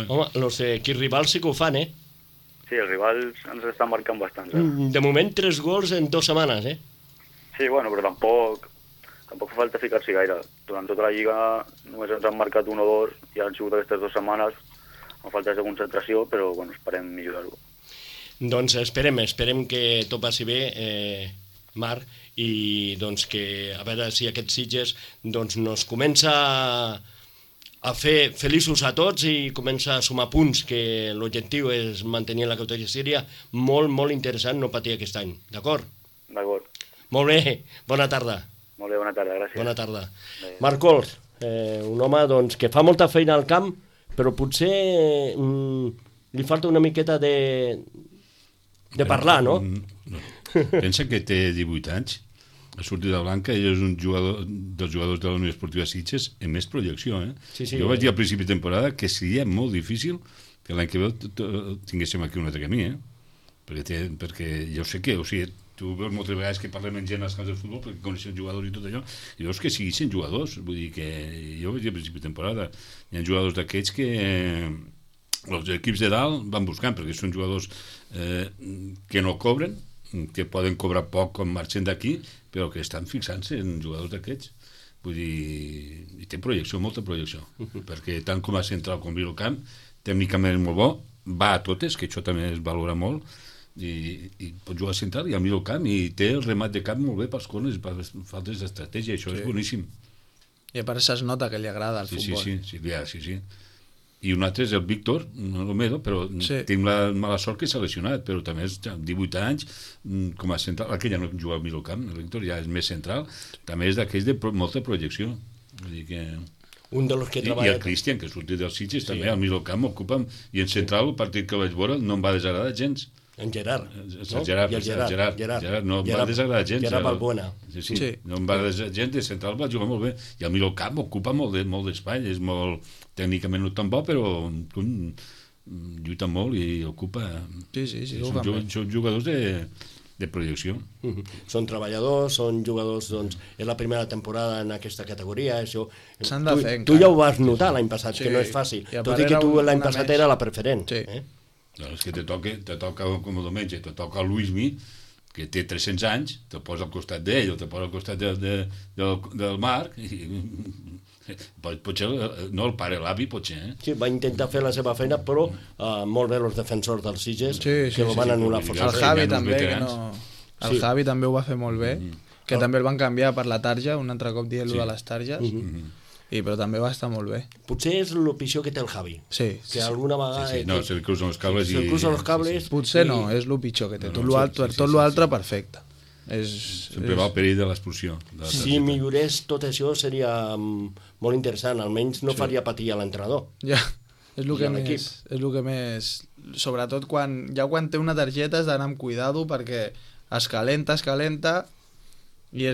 Speaker 1: Home, els equips rivals sí que ho fan,
Speaker 4: Sí, els rivals ens estan marcant bastants,
Speaker 1: De moment 3 gols en 2 setmanes,
Speaker 4: Sí, bueno, però tampoc fa falta ficar-s'hi gaire. Durant tota la Lliga només ens han marcat 1 o 2 i han sigut aquestes 2 setmanes amb faltes de concentració, però bueno, esperem millorar-ho.
Speaker 1: Doncs esperem que tot passi bé, Marc, i doncs que a veure si aquest Sitges doncs nos comença a fer feliços a tots i comença a sumar punts, que l'objectiu és mantenir la categoria. Seria molt, molt interessant no patir aquest any, d'acord?
Speaker 4: D'acord.
Speaker 1: Molt bé, bona tarda.
Speaker 4: Molt bé, bona tarda, gràcies.
Speaker 1: Bona tarda. Marc Cols, un home doncs, que fa molta feina al camp, però potser li falta una miqueta de parlar, no?
Speaker 2: Pensa que té 18 anys, ha sortit de Blanca, ell és un dels jugadors de la Unió Esportiva Sitges amb més projecció.
Speaker 1: Sí,
Speaker 2: jo vaig dir al principi de temporada que seria molt difícil que l'any que ve tinguéssim aquí un altre camí, perquè jo sé que, o sigui, tu veus moltes vegades que parlem amb gent als camps de futbol perquè coneixen jugadors i tot allò, i veus que siguin jugadors, vull dir que jo vaig dir al principi de temporada, hi ha jugadors d'aquests que els equips de dalt van buscant, perquè són jugadors que no cobren, que poden cobrar poc com marxen d'aquí, però que estan fixant-se en jugadors d'aquests. Vull dir, i té projecció, molta projecció, perquè tant com a central com a camp, tècnicament és molt bo, va a totes, que això també es valora molt, i pot jugar a central i al mig del camp, i té el remat de camp molt bé pels corners, per faltes d'estratègia, això és boníssim.
Speaker 3: I a part es nota que li agrada el futbol.
Speaker 2: Sí. I un altre és el Víctor Romero, però tinc la mala sort que s'ha lesionat, però també és 18 anys com a central, aquell ja no juga al mig del camp, el Víctor ja és més central, també és d'aquells de molta projecció. Vull dir que...
Speaker 1: Un dels que treballa...
Speaker 2: I el Cristian, que sortit dels Sitges, també al mig del camp ocupa, i en central, el partit que vaig veure, no em va desagradar gens.
Speaker 1: En Gerard,
Speaker 2: no? Gerard no em va desagradar gens.
Speaker 1: Gerard Balbuena.
Speaker 2: Sí. No em va desagradar gens, de central va jugar molt bé. I al mig del camp ocupa molt d'espai, és molt tècnicament no tan bo, però lluita molt i ocupa...
Speaker 3: Sí,
Speaker 2: són jugadors de projecció.
Speaker 1: Són treballadors, són jugadors, doncs, és la primera temporada en aquesta categoria, això...
Speaker 3: S'han de fer,
Speaker 1: tu ja ho vas notar l'any passat, que no és fàcil, tot i que tu l'any passat era la preferent.
Speaker 2: No, és que te toca com el diumenge, te toca el Luismi, que té 300 anys, te posa al costat d'ell o te posa al costat del Marc, i potser no el pare, l'avi potser.
Speaker 1: Sí, va intentar fer la seva feina, però molt bé els defensors dels Sitges, que ho van anul·lar força.
Speaker 3: El Javi també, el Javi també ho va fer molt bé. que també el van canviar per la tarja, un altre cop dient-lo de les targes, però també va estar molt bé.
Speaker 1: Potser és el pitjor que té el Javi.
Speaker 3: Sí.
Speaker 1: Que alguna vegada...
Speaker 2: Sí, no, se li cruzen els cables
Speaker 1: Se li cruzen els cables...
Speaker 3: Potser no, és el pitjor que té. Tot l'altre, perfecte.
Speaker 2: Sempre va al perill de l'expulsió.
Speaker 1: Si millorés tot això seria molt interessant, almenys no faria patir a l'entrenador.
Speaker 3: Ja, és el que més... Sobretot quan té una targeta has d'anar amb cuidado perquè es calenta i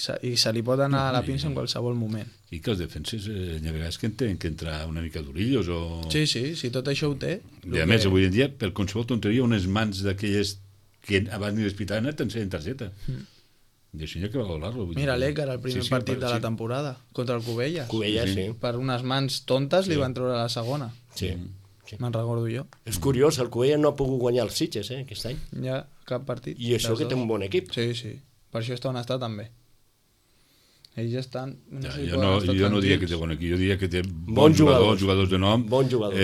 Speaker 3: se li pot anar a la pinça en qualsevol moment.
Speaker 2: I que els defenses hi ha vegades que tenen que entrar una mica d'orillos o...
Speaker 3: Sí, tot això ho té.
Speaker 2: I a més, avui en dia, per qualsevol tonteria, unes mans d'aquelles que abans ni l'hospital t'ensenyen targeta. I això hi ha que valorar-lo.
Speaker 3: Mira l'Ècar, el primer partit de la temporada, contra el Cubelles.
Speaker 1: Cubelles, sí.
Speaker 3: Per unes mans tontes li van treure la segona.
Speaker 1: Sí.
Speaker 3: Me'n recordo jo.
Speaker 1: És curiós, el Cubelles no ha pogut guanyar els Sitges, aquest any.
Speaker 3: Ja, cap partit.
Speaker 1: I això que té un bon equip.
Speaker 3: Sí. Per això està on està també. Ells estan...
Speaker 2: Jo no diria que té bon equip, jo diria que té bons jugadors de nom,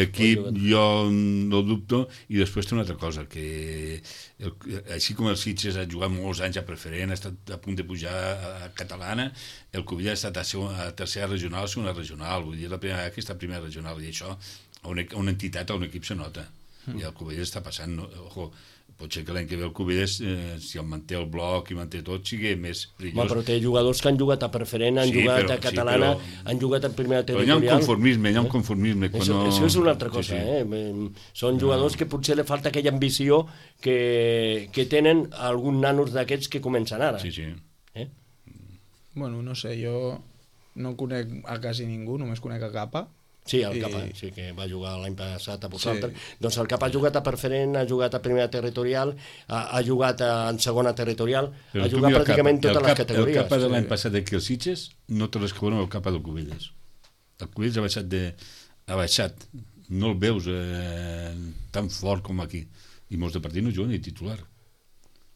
Speaker 2: equip jo no dubto, i després té una altra cosa, que així com el Sitges ha jugat molts anys a preferent, ha estat a punt de pujar a catalana, el Cubelles ha estat a tercera regional, segona regional, vull dir, aquesta primera regional, i això a una entitat, a un equip se nota, i el Cubelles està passant, ojo, potser que l'any que ve el Cubelles, si el manté el bloc i manté tot, sigui més perillós.
Speaker 1: Però té jugadors que han jugat a preferent, han jugat a catalana, han jugat a primera territorial.
Speaker 2: Però hi ha un conformisme.
Speaker 1: Això és una altra cosa. Són jugadors que potser li falta aquella ambició que tenen alguns nanos d'aquests que comencen ara.
Speaker 2: Sí.
Speaker 3: Bueno, no sé, jo no conec a quasi ningú, només conec a Capa.
Speaker 1: Sí, el Capa, sí, que va jugar l'any passat a vosaltres. Doncs el Capa ha jugat a preferent, ha jugat a primera territorial, ha jugat en segona territorial, ha jugat pràcticament totes les categories.
Speaker 2: El Capa de l'any passat d'aquí als Sitges no té res que veure amb el Capa del Cubelles. El Cubelles ha baixat, no el veus tan fort com aquí, i molts de partits no juguen ni titular.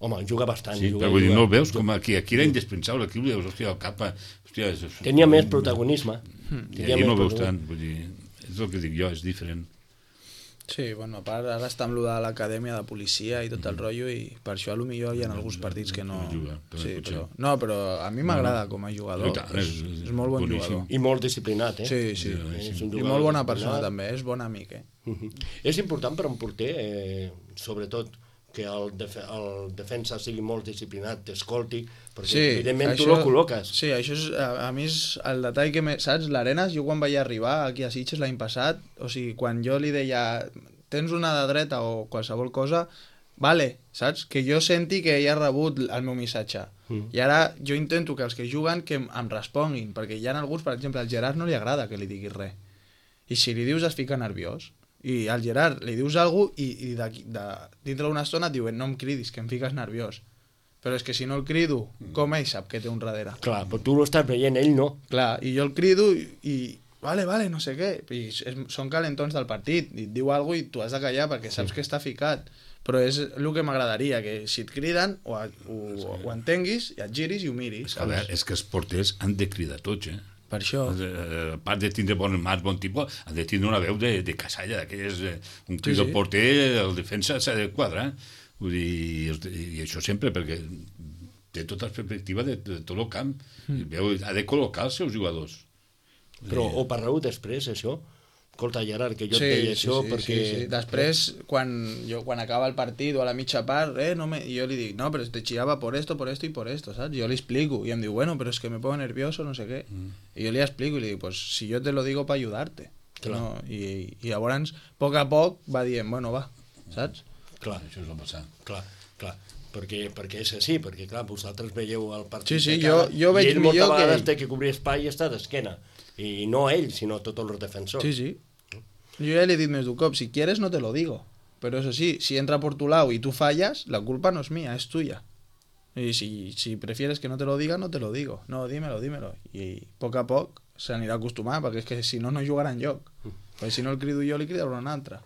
Speaker 1: Home, juga bastant.
Speaker 2: Sí, però vull dir, no el veus com aquí era indispensable, aquí el veus, hòstia, el Capa...
Speaker 1: Tenia més protagonisme.
Speaker 2: I aquí no el veus tant, vull dir, és el que dic jo, és diferent.
Speaker 3: Sí, bueno, a part, ara està amb de l'acadèmia de policia i tot el rotllo, i per això potser hi ha alguns partits que no... No, però a mi m'agrada com a jugador, és molt bon jugador.
Speaker 1: I molt disciplinat,
Speaker 3: Sí. I molt bona persona també, és bon amic,
Speaker 1: És important per un porter, sobretot, que el defensa sigui molt disciplinat, t'escolti, perquè evidentment tu lo col·loques.
Speaker 3: Sí, això és, a mi és el detall que, saps, l'Arenas, jo quan vaig arribar aquí a Sitges l'any passat, o sigui, quan jo li deia tens una de dreta o qualsevol cosa, vale, saps, que jo senti que ell ha rebut el meu missatge. I ara jo intento que els que juguen que em responguin, perquè hi ha alguns, per exemple, al Gerard no li agrada que li diguis res. I si li dius es fica nerviós. I al Gerard li dius alguna cosa i dintre d'una estona et diuen no em cridis, que em fiques nerviós. Però és que si no el crido, com ell sap que té un darrere?
Speaker 1: Clar, però tu l'estàs veient, ell no.
Speaker 3: Clar, i jo el crido i vale, no sé què. I són calentons del partit, i et diu alguna cosa i tu has de callar perquè saps que està ficat. Però és el que m'agradaria, que si et criden ho entenguis i et giris i ho miris.
Speaker 2: A veure, és que els porters han de cridar tots,
Speaker 3: Per això.
Speaker 2: A part de tindre bones mans, bon tipus, han de tindre una veu de casalla, d'aquelles, un crit del porter, el defensa s'ha de quadrar. Vull dir, i això sempre, perquè té tota la perspectiva de tot el camp. Ha de col·locar els seus jugadors.
Speaker 3: Però
Speaker 1: o parleu després, això? Escolta, Gerard, que jo et deia això perquè...
Speaker 3: Sí. Després, quan acaba el partit o a la mitja part, jo li dic, no, però te chillaba por esto y por esto, ¿sabes? Jo li explico, i em diu, bueno, pero es que me pongo nervioso, no sé què. I jo li explico i li dic, pues si yo te lo digo para ayudarte. No? I llavors, a poc va dient, bueno, va, saps?
Speaker 1: Clar, això és el passar. Clar. Perquè és així, perquè clar, vosaltres veieu el partit
Speaker 3: de cara, jo veig
Speaker 1: i ell
Speaker 3: millor
Speaker 1: moltes vegades té que cobrir espai i està d'esquena. I no ell, sinó tots els defensors.
Speaker 3: Sí. Yo ya le he dicho més d'un cop, si quieres no te lo digo, pero eso sí, si entra por tu lado y tú fallas, la culpa no es mía, es tuya. Y si prefieres que no te lo diga, no te lo digo. No, dímelo. I a poc s'anirà acostumant, perquè és que si no jugarà enlloc. Perquè si no el crido jo, li cridarà un altre.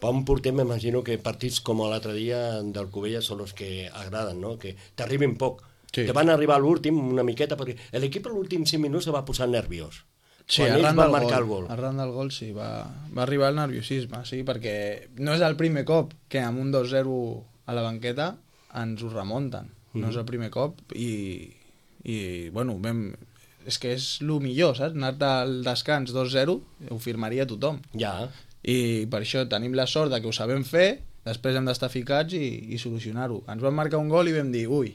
Speaker 1: Per un porter m'imagino que partits com l'altre dia del Cubelles són els que agraden, no? Que t'arribin poc. Sí. Te van arribar a l'últim una miqueta, perquè l'equip a l'últim 5 minuts se va posar nerviós.
Speaker 3: Sí, arran del gol sí, va arribar el nerviosisme, sí, perquè no és el primer cop que amb un 2-0 a la banqueta ens ho remunten. no és el primer cop i bueno, és que és el millor, saps? Anar-te al descans 2-0 ho firmaria tothom.
Speaker 1: Ja.
Speaker 3: I per això tenim la sort de que ho sabem fer, després hem d'estar ficats i solucionar-ho. Ens van marcar un gol i vam dir, ui,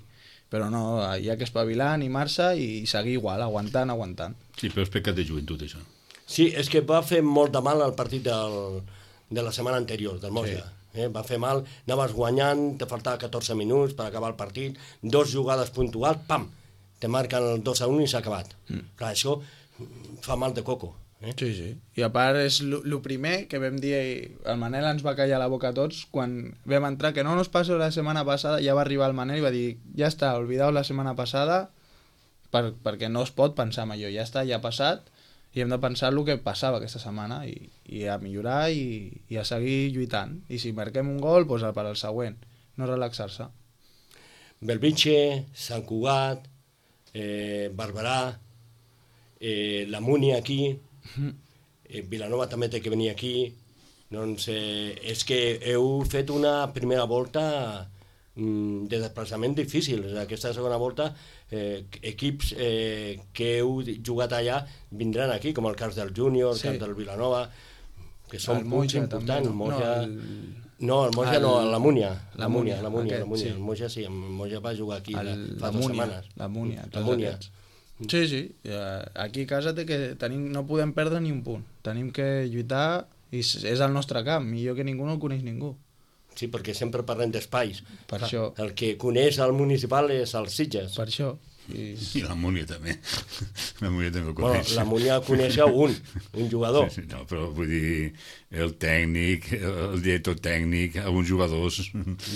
Speaker 3: però no, hi ha que espavilar, animar-se i seguir igual, aguantant.
Speaker 2: Sí, però és pecat de joventut, això.
Speaker 1: Sí, és que va fer molt de mal el partit de la setmana anterior, del Moja. Sí. Va fer mal, anaves guanyant, te faltava 14 minuts per acabar el partit, 2 jugades puntuals, pam, te marquen el 2-1 i s'ha acabat. Clar, això fa mal de coco.
Speaker 3: Sí. I a part és el primer que vam dir, el Manel ens va callar la boca a tots quan vam entrar, que no nos passó la setmana passada, ja va arribar el Manel i va dir, ja està, oblideu la setmana passada perquè no es pot pensar en allò, ja està, ja ha passat i hem de pensar el que passava aquesta setmana i a millorar i a seguir lluitant. I si marquem un gol, doncs per al següent, no relaxar-se.
Speaker 1: Belvitge, Sant Cugat, Barberà, la Múnia aquí, Vilanova també té que venir aquí. Doncs és que heu fet una primera volta de desplaçament difícil. Aquesta segona volta equips que heu jugat allà vindran aquí, com el cas del Júnior, el cas del Vilanova, que són punts importants. No, el Moja no, la Múnia. La Múnia. El Moja sí, el Moja va jugar aquí fa 2 setmanes.
Speaker 3: La Múnia. Sí. Aquí a casa no podem perdre ni un punt. Tenim que lluitar i és el nostre camp. Millor que ningú no el coneix ningú.
Speaker 1: Sí, perquè sempre parlem d'espais.
Speaker 3: Per això.
Speaker 1: El que coneix el municipal és els Sitges.
Speaker 3: Per això.
Speaker 2: I la Múnia també. La Múnia també ho coneix.
Speaker 1: La Múnia coneix un jugador.
Speaker 2: Sí, no, però vull dir, el tècnic, el director tècnic, alguns jugadors...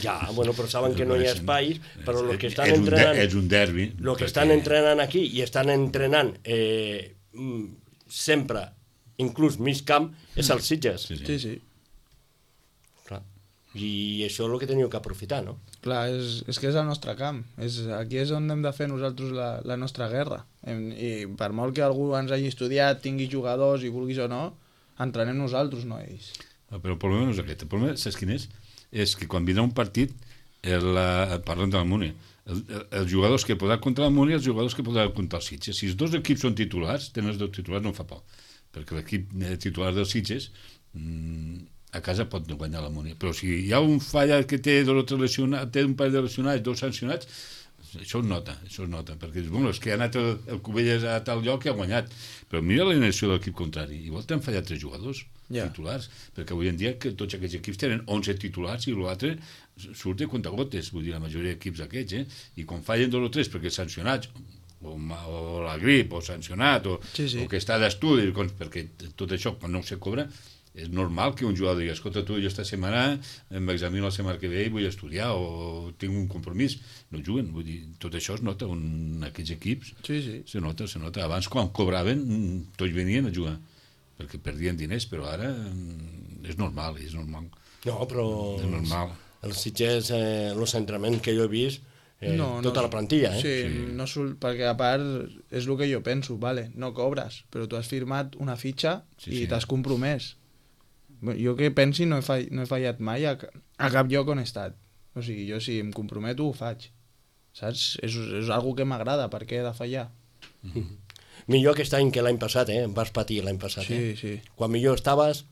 Speaker 1: Ja, bueno, però saben que no hi ha espais, però el que estan entrenant...
Speaker 2: És un derbi.
Speaker 1: El que estan entrenant aquí i estan entrenant sempre, inclús mig camp, és els Sitges.
Speaker 3: Sí.
Speaker 1: Clar. I això és el que teniu que aprofitar, no?
Speaker 3: Clar, és que és el nostre camp. Aquí és on hem de fer nosaltres la nostra guerra. I per molt que algú ens hagi estudiat, tingui jugadors i vulguis o no, entrenem nosaltres, no ells.
Speaker 2: Però el problema no és aquest. El problema, saps quin és? És que quan vindrà un partit, parlant de la Múnia, els jugadors que podran contra la Múnia i els jugadors que podran contra els Sitges. Si els 2 equips són titulars, tenen els 2 titulars, no fa por. Perquè l'equip titular dels Sitges a casa pot guanyar la Múnia, però si hi ha un falla que té 2 o 3 lesionats, té un parell de lesionats, 2 sancionats, això es nota, perquè és que ha anat el Cubelles a tal lloc i ha guanyat, però mira l'alineació de l'equip contrari, igual t'han fallat 3 jugadors titulars, perquè avui en dia que tots aquests equips tenen 11 titulars i l'altre surt de contagotes, vull dir, la majoria d'equips aquests, i quan fallen 2 o 3 perquè sancionats, o la grip, o sancionat, o que està d'estudi, perquè tot això, quan no se cobra, és normal que un jugador digui, escolta, tu, jo esta setmana m'examino la setmana que ve i vull estudiar o tinc un compromís. No juguen, vull dir, tot això es nota en aquests equips.
Speaker 3: Sí.
Speaker 2: Se nota. Abans, quan cobraven, tots venien a jugar, perquè perdien diners, però ara és normal.
Speaker 1: No, però
Speaker 2: és normal.
Speaker 1: Els Sitges, els entrenaments que jo he vist, tota la plantilla,
Speaker 3: Sí, no perquè a part és el que jo penso, vale, no cobres, però tu has firmat una fitxa i t'has compromès. Jo que pensi no he fallat mai a cap lloc on he estat. O sigui, jo si em comprometo ho faig. Saps? És algo que m'agrada, per què he de fallar?
Speaker 1: Millor aquest any que l'any passat, vas patir l'any passat.
Speaker 3: Sí.
Speaker 1: Quan millor estaves,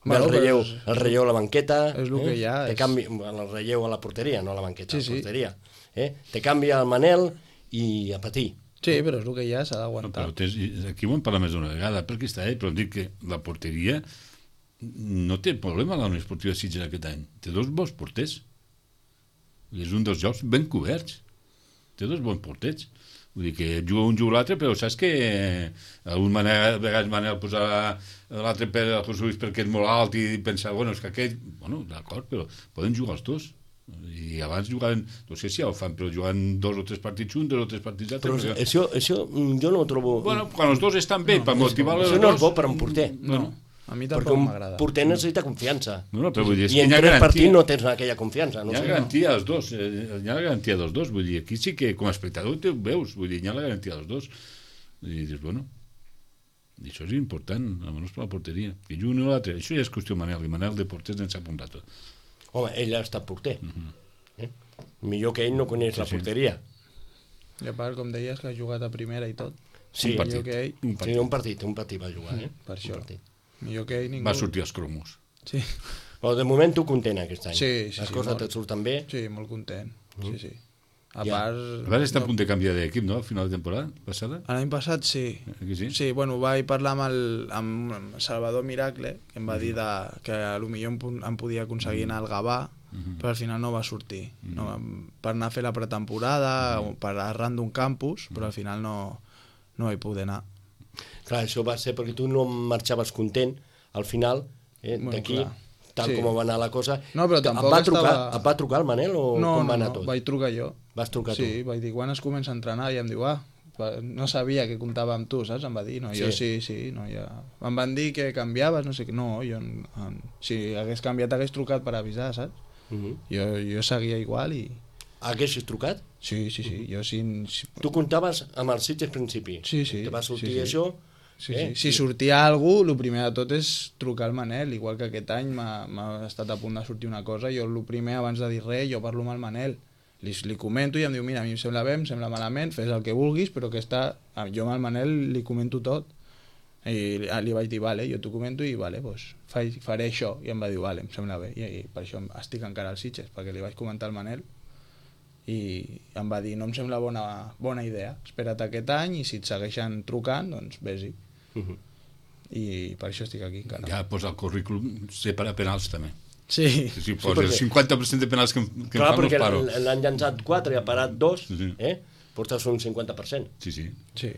Speaker 1: el relleu a la banqueta,
Speaker 3: és el que hi ha.
Speaker 1: El relleu a la porteria, no a la banqueta, a la porteria. Te canvia el Manel i a patir.
Speaker 3: Sí, però és el que hi ha, s'ha d'aguantar.
Speaker 2: Aquí ho hem parlat més d'una vegada, perquè està però dic que la porteria no té problema la Unió Esportiva Sitges aquest any. Té 2 bons porters. És un dels jocs ben coberts. Té 2 bons porters. Vull dir que juga un, juga l'altre, però saps que a vegades Manel posa l'altre per a José Luis perquè és molt alt i pensa, és que aquell... D'acord, però poden jugar els 2. I abans jugaven, no sé si ja ho fan, però jugant 2 o 3 partits un, 2 o 3 partits altres.
Speaker 1: Però això jo no ho trobo...
Speaker 2: Quan els 2 estan bé, per motivar els 2...
Speaker 1: Això no és bo per un porter.
Speaker 3: No. A mi tampoc m'agrada.
Speaker 1: Perquè un porter necessita confiança.
Speaker 2: Però vull dir,
Speaker 1: i en 3 partits no tens aquella confiança.
Speaker 2: Hi ha garantia dels 2. Hi ha la garantia dels 2. Vull dir, aquí sí que com a espectador ho veus. Vull dir, hi ha la garantia dels 2. I dius, i això és important, almenys per la porteria. I un o l'altre. Això ja és qüestió Manel. I Manel de porters en sap un rato.
Speaker 1: Home, ell ha estat porter. Millor que ell no coneix la porteria.
Speaker 3: I a part, com deies, que ha jugat a primera i tot.
Speaker 1: Sí,
Speaker 2: Un partit.
Speaker 3: Millor que ell,
Speaker 1: Sí, un partit va jugar,
Speaker 3: per això.
Speaker 1: Un partit.
Speaker 3: millor que ell ningú.
Speaker 2: Va sortir als cromos.
Speaker 3: Sí,
Speaker 1: Però de moment tu content aquest any.
Speaker 3: Sí,
Speaker 1: Les
Speaker 3: sí,
Speaker 1: coses
Speaker 3: molt.
Speaker 1: et surten bé.
Speaker 3: sí, molt content. Sí. A
Speaker 1: Ja.
Speaker 3: part...
Speaker 2: A veure, està a punt de canviar d'equip, no? Al final de temporada passada?
Speaker 3: L'any passat sí.
Speaker 2: Aquí sí?
Speaker 3: Sí, bueno, vaig parlar amb Salvador Miracle, que em va dir que potser em podia aconseguir anar al Gavà, però al final no va sortir. No, per anar a fer la pretemporada, o per arran d'un campus, però al final no vaig poder anar.
Speaker 1: Clar, això va ser perquè tu no marxaves content al final,
Speaker 3: Bueno,
Speaker 1: d'aquí,
Speaker 3: clar.
Speaker 1: tal
Speaker 3: Sí.
Speaker 1: com va anar la cosa.
Speaker 3: No, però tampoc
Speaker 1: et
Speaker 3: estava-
Speaker 1: va trucar el Manel o com va anar tot?
Speaker 3: vaig trucar jo.
Speaker 1: Vas trucar
Speaker 3: Sí, vaig dir, quan es comença a entrenar? I em diu, no sabia que comptava amb tu, saps? Em va dir, no, jo sí, no, ja... Em van dir que canviaves, no sé què, no, jo, si hagués canviat hagués trucat per avisar, saps? Jo seguia igual i...
Speaker 1: Haguessis trucat?
Speaker 3: Sí, jo sí...
Speaker 1: Tu comptaves amb el Sitges principi.
Speaker 3: Sí.
Speaker 1: Te va sortir
Speaker 3: sí.
Speaker 1: això...
Speaker 3: Sí. Si sortia algú, el primer de tot és trucar al Manel, igual que aquest any m'ha estat a punt de sortir una cosa, jo el primer, abans de dir res, jo parlo amb el Manel, li comento i em diu, mira, a mi em sembla bé, em sembla malament, fes el que vulguis, però que jo amb el Manel li comento tot. I li vaig dir, vale, jo t'ho comento i vale, pues, faré això. I em va dir, vale, em sembla bé. I per això estic encara al Sitges, perquè li vaig comentar al Manel i em va dir, no em sembla bona idea, espera't aquest any i si et segueixen trucant, doncs vés-hi. I per això estic aquí encara.
Speaker 2: Ja posa el currículum, sé per a penals també.
Speaker 3: Sí.
Speaker 2: Si posa el 50% de penals que
Speaker 1: Clar,
Speaker 2: em fan,
Speaker 1: perquè
Speaker 2: els paro.
Speaker 1: l'han llançat 4 i ha parat 2,
Speaker 2: Sí.
Speaker 1: portes un 50%.
Speaker 2: Sí.
Speaker 3: Sí.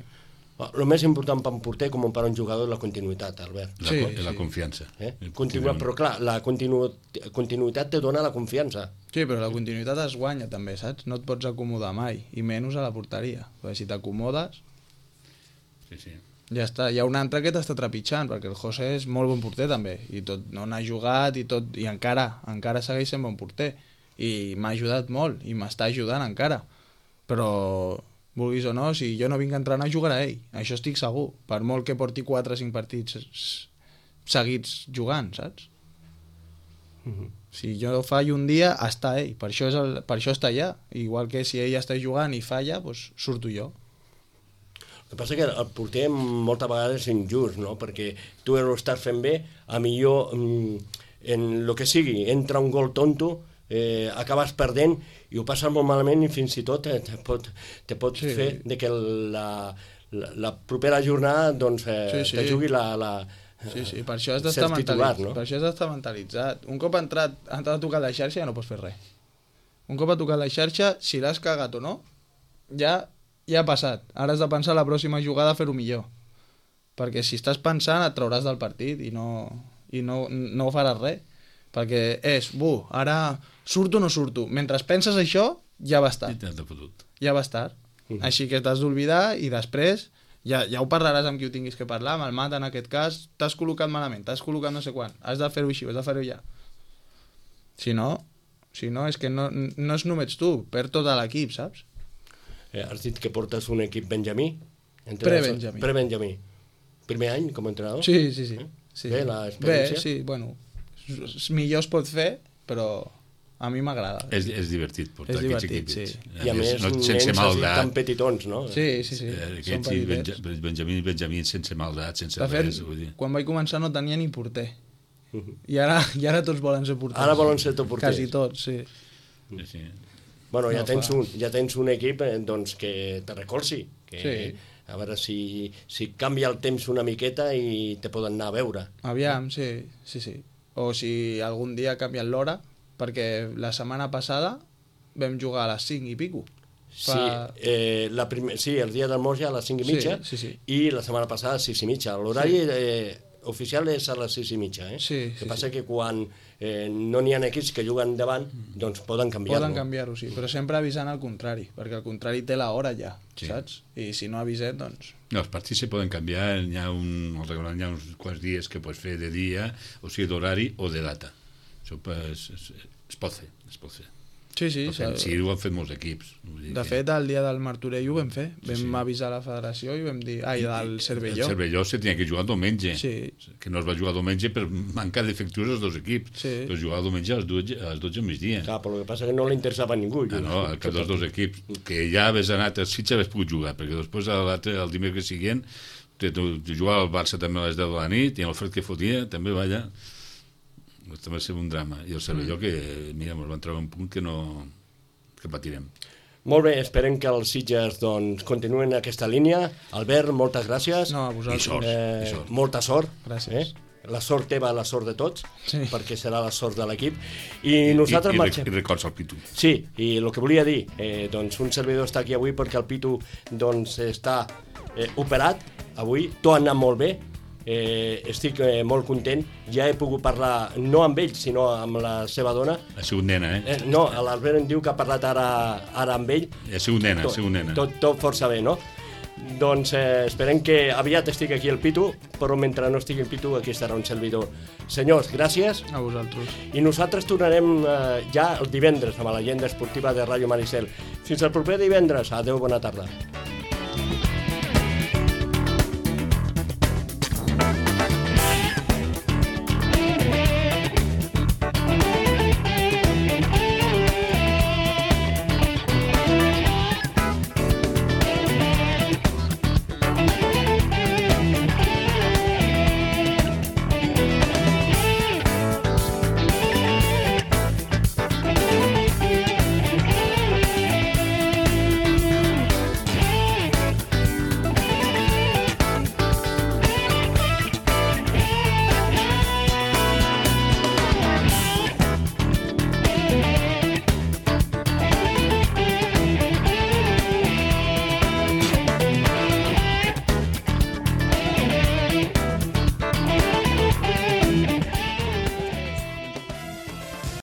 Speaker 1: El més important per un porter com per un jugador és la continuïtat, Albert.
Speaker 2: La confiança.
Speaker 1: Continua, però clar, la continuïtat te dona la confiança.
Speaker 3: Sí, però la continuïtat es guanya també, saps? No et pots acomodar mai, i menys a la porteria. Perquè si t'acomodes,
Speaker 2: Sí.
Speaker 3: ja està. Hi ha un altre que t'està trepitjant, perquè el José és molt bon porter també, i tot, no n'ha jugat i tot, i encara segueix sent bon porter. I m'ha ajudat molt, i m'està ajudant encara. Però, vulguis o no, si jo no vinc a entrenar, jugarà ell. Això estic segur. Per molt que porti 4 o 5 partits seguits jugant, saps? Si jo fallo un dia, està ell. Per això està allà. Igual que si ell està jugant i falla, doncs surto jo.
Speaker 1: El que passa que el porter moltes vegades és injust, no? Perquè tu ho estàs fent bé, a millor en el que sigui, entra un gol tonto, acabes perdent i ho passes molt malament i fins i tot te pot fer de que la propera jornada doncs, te jugui la
Speaker 3: Sí, per això has d'estar mentalitzat. Per això has d'estar mentalitzat. Un cop ha entrat a tocar la xarxa ja no pots fer res. Un cop ha tocat la xarxa, si l'has cagat o no, ja ha passat. Ara has de pensar la pròxima jugada a fer-ho millor. Perquè si estàs pensant et trauràs del partit i no faràs res. Perquè ara surto o no surto. Mentre penses això, ja va estar. Ja va estar. Així que t'has d'oblidar i després ja ho parlaràs amb qui ho tinguis que parlar, amb el Mat en aquest cas, t'has col·locat malament, t'has col·locat no sé quan, has de fer-ho així, has de fer-ho ja. Si no, és que no és només tu, perd tot l'equip, saps?
Speaker 1: Has dit que portes un equip benjamí?
Speaker 3: Pre-benjamí.
Speaker 1: Pre-benjamí. Primer any com a entrenador?
Speaker 3: Sí.
Speaker 1: Bé, l'experiència?
Speaker 3: Bé, sí, bueno, millor es pot fer, però a mi m'agrada.
Speaker 2: És divertit portar aquests equips.
Speaker 3: Sí.
Speaker 1: I a més, nens així tan petitons, no?
Speaker 3: Sí.
Speaker 2: Aquests i Benjamí sense maldat, sense res.
Speaker 3: De fet, quan vaig començar no tenia ni porter. I ara tots volen ser porters.
Speaker 1: Ara volen ser tots porters.
Speaker 3: Quasi tots, sí.
Speaker 1: Bueno, ja tens un equip doncs, que te recolzi.
Speaker 3: Sí.
Speaker 1: A veure si canvia el temps una miqueta i te poden anar a veure.
Speaker 3: Aviam, sí. O si algun dia canvien l'hora, perquè la setmana passada vam jugar a les 5 i pico.
Speaker 1: Sí, el dia del Morja a les 5 i mitja i la setmana passada a les 6 i mitja. L'horari oficial és a les 6 i mitja. El que passa que quan no n'hi ha equips que juguen davant, doncs poden canviar-ho.
Speaker 3: Poden canviar-ho, sí, però sempre avisant al contrari, perquè el contrari té l'hora ja, saps? I si no avisem, doncs...
Speaker 2: No, els partits se poden canviar, hi ha uns quants dies que pots fer de dia, o sigui d'horari o de data. Això es pot fer.
Speaker 3: Sí.
Speaker 2: Sí, ho han fet molts equips.
Speaker 3: De fet, el dia del Martorell ho vam fer. Vam avisar la federació i vam dir... del Cervelló.
Speaker 2: El Cervelló se tenia que jugar diumenge.
Speaker 3: Sí.
Speaker 2: Que no es va jugar diumenge per manca d'efectius els dos equips.
Speaker 3: Sí.
Speaker 2: Però jugava diumenge a les 12 al migdia.
Speaker 1: Clar, però el que passa és que no li interessava a ningú.
Speaker 2: No, el cap dels dos equips. Que ja hagués anat a Sitges hagués pogut jugar, perquè després el dimecres següent jugava el Barça també a les 10 de la nit i el fred que fotia també va allà. També va ser un drama. I el Cervelló que, mira, ens van treure un punt que patirem.
Speaker 1: Molt bé, esperem que els Sitges doncs, continuen aquesta línia. Albert, moltes gràcies.
Speaker 3: No, a vosaltres.
Speaker 2: I sort.
Speaker 1: Molta sort.
Speaker 3: Gràcies.
Speaker 1: La sort teva, la sort de tots,
Speaker 3: Sí.
Speaker 1: perquè serà la sort de l'equip. I nosaltres marxem.
Speaker 2: I records al Pitu.
Speaker 1: Sí, i el que volia dir, doncs un servidor està aquí avui perquè el Pitu doncs, està operat avui, tot ha anat molt bé. Estic molt content, ja he pogut parlar no amb ell sinó amb la seva dona.
Speaker 2: Ha sigut nena,
Speaker 1: No, l'Albert em diu que ha parlat ara amb ell.
Speaker 2: Ha sigut nena,
Speaker 1: Tot força bé, no? Doncs esperem que aviat estigui aquí el Pitu, però mentre no estigui el Pitu aquí estarà un servidor. Senyors, gràcies.
Speaker 3: A vosaltres.
Speaker 1: I nosaltres tornarem ja el divendres amb l'agenda esportiva de Ràdio Maricel. Fins al proper divendres. Adéu, bona tarda.